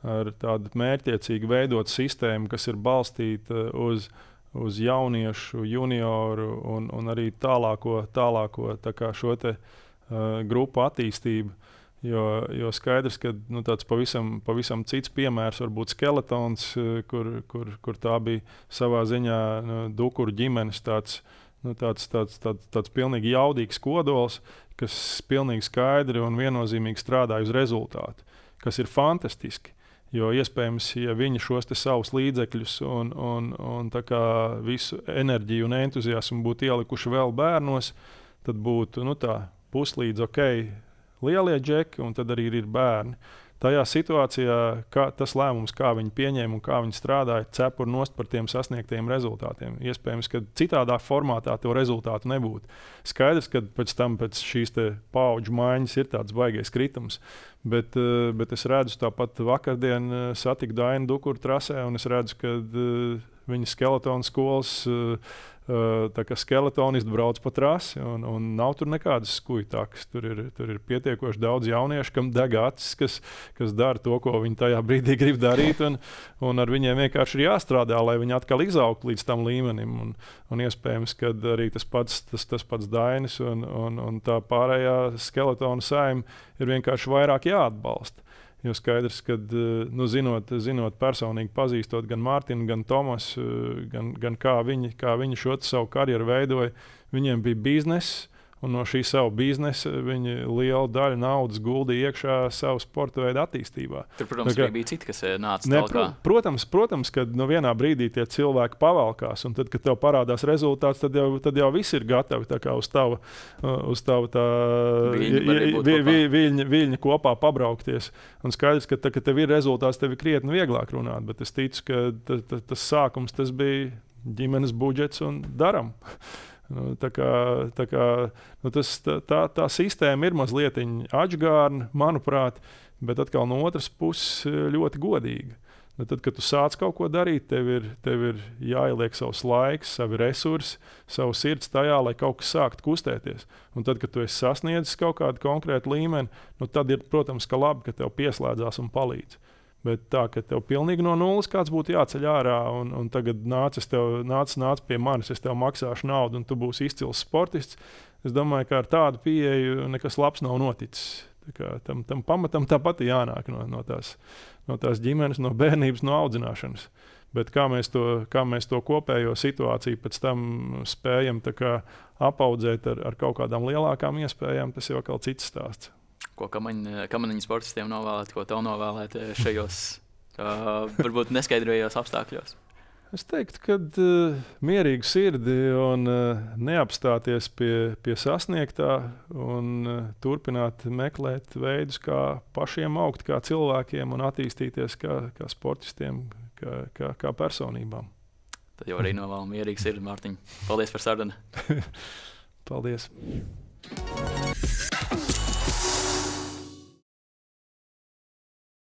ar tādu mērķtiecīgi veidotu sistēmu, kas ir balstīta uz jauniešu, junioru un arī tālāko tā kā šo te, grupu attīstību. Jo skaidrs, ka tāds pavisam cits piemērs var būt Skeletons, kur tā bija savā ziņā Dukuru ģimenes tāds pilnīgi jaudīgs kodols, kas pilnīgi skaidri un viennozīmīgi strādā uz rezultātu, kas ir fantastiski. Jo iespējams, ja viņi šos savus līdzekļus un tā kā visu enerģiju un entuziasmu būtu ielikuši vēl bērnos, tad būtu puslīdz lielie džeki, un tad arī ir bērni. Tajā situācijā tas lēmums, kā viņi pieņēma un kā viņi strādāja, cepur nost par tiem sasniegtiem rezultātiem. Iespējams, ka citādā formātā to rezultātu nebūtu. Skaidrs, ka pēc šīs paudžu maiņas ir tāds baigais kritums, bet es redzu tāpat vakardien satiku Dainu Dukuru trasē, un es redzu, ka viņa Skeletona skolas skeletonisti brauc pa trasi, un nav tur nekādas skujtākas. Tur ir pietiekoši daudz jauniešu, kam deg acis, kas dara to, ko viņi tajā brīdī grib darīt, un ar viņiem vienkārši ir jāstrādā, lai viņi atkal izaugtu līdz tam līmenim. Un iespējams, ka arī tas pats Dainis un tā pārējā Skeletona saima ir vienkārši vairāk jāatbalsta. Jo skaidrs, ka zinot personīgi pazīstot gan Mārtiņu, gan Tomasu, gan kā viņi šo savu karjeru veidoja, viņiem bija bizness, un no šī savu biznesa viņi lielu daļu naudas guldīja iekšā savu sporta veidu attīstībā. Tur, protams, arī bija citi, kas nāca tālākā. Protams, kad vienā brīdī tie cilvēki pavalkās, un tad, kad tev parādās rezultāts, tad jau viss ir gatavi tā kā uz tavu viļņa kopā pabraukties. Un skaidrs, ka kad tev ir rezultāts, tev ir krietni vieglāk runāt, bet es ticu, ka tas sākums tas bija ģimenes budžets un daram. Tā sistēma ir mazliet atžgārna, manuprāt, bet atkal no otras puses ļoti godīga. Tad, kad tu sāc kaut ko darīt, tev ir jāieliek savs laiks, savi resursi, savu sirds tajā, lai kaut kas sāktu kustēties. Un tad, kad tu esi sasniedzis kaut kādu konkrētu līmeni, tad ir, protams, ka labi, ka tev pieslēdzās un palīdz. Bet tā, ka tev pilnīgi no nulles kāds būtu jāceļ ārā, un tagad nāc pie manis, es tev maksāšu naudu, un tu būsi izcils sportists, es domāju, ka ar tādu pieeju nekas labs nav noticis. Tam pamatam tāpat jānāk no tās ģimenes, no bērnības, no audzināšanas. Bet kā mēs to kopējo situāciju pēc tam spējam apaudzēt ar kaut kādām lielākām iespējām, tas jau kaut cits stāsts. Ko kamaniņu sportistiem novēlēt, ko tev novēlēt šajos varbūt neskaidrajos apstākļos? Es teiktu, ka mierīgu sirdi un neapstāties pie sasniegtā un turpināt meklēt veidus, kā pašiem augt, kā cilvēkiem un attīstīties kā sportistiem, kā personībām. Tad jau arī novēlam mierīgu sirdi, Mārtiņ. Paldies par sarunu. Paldies.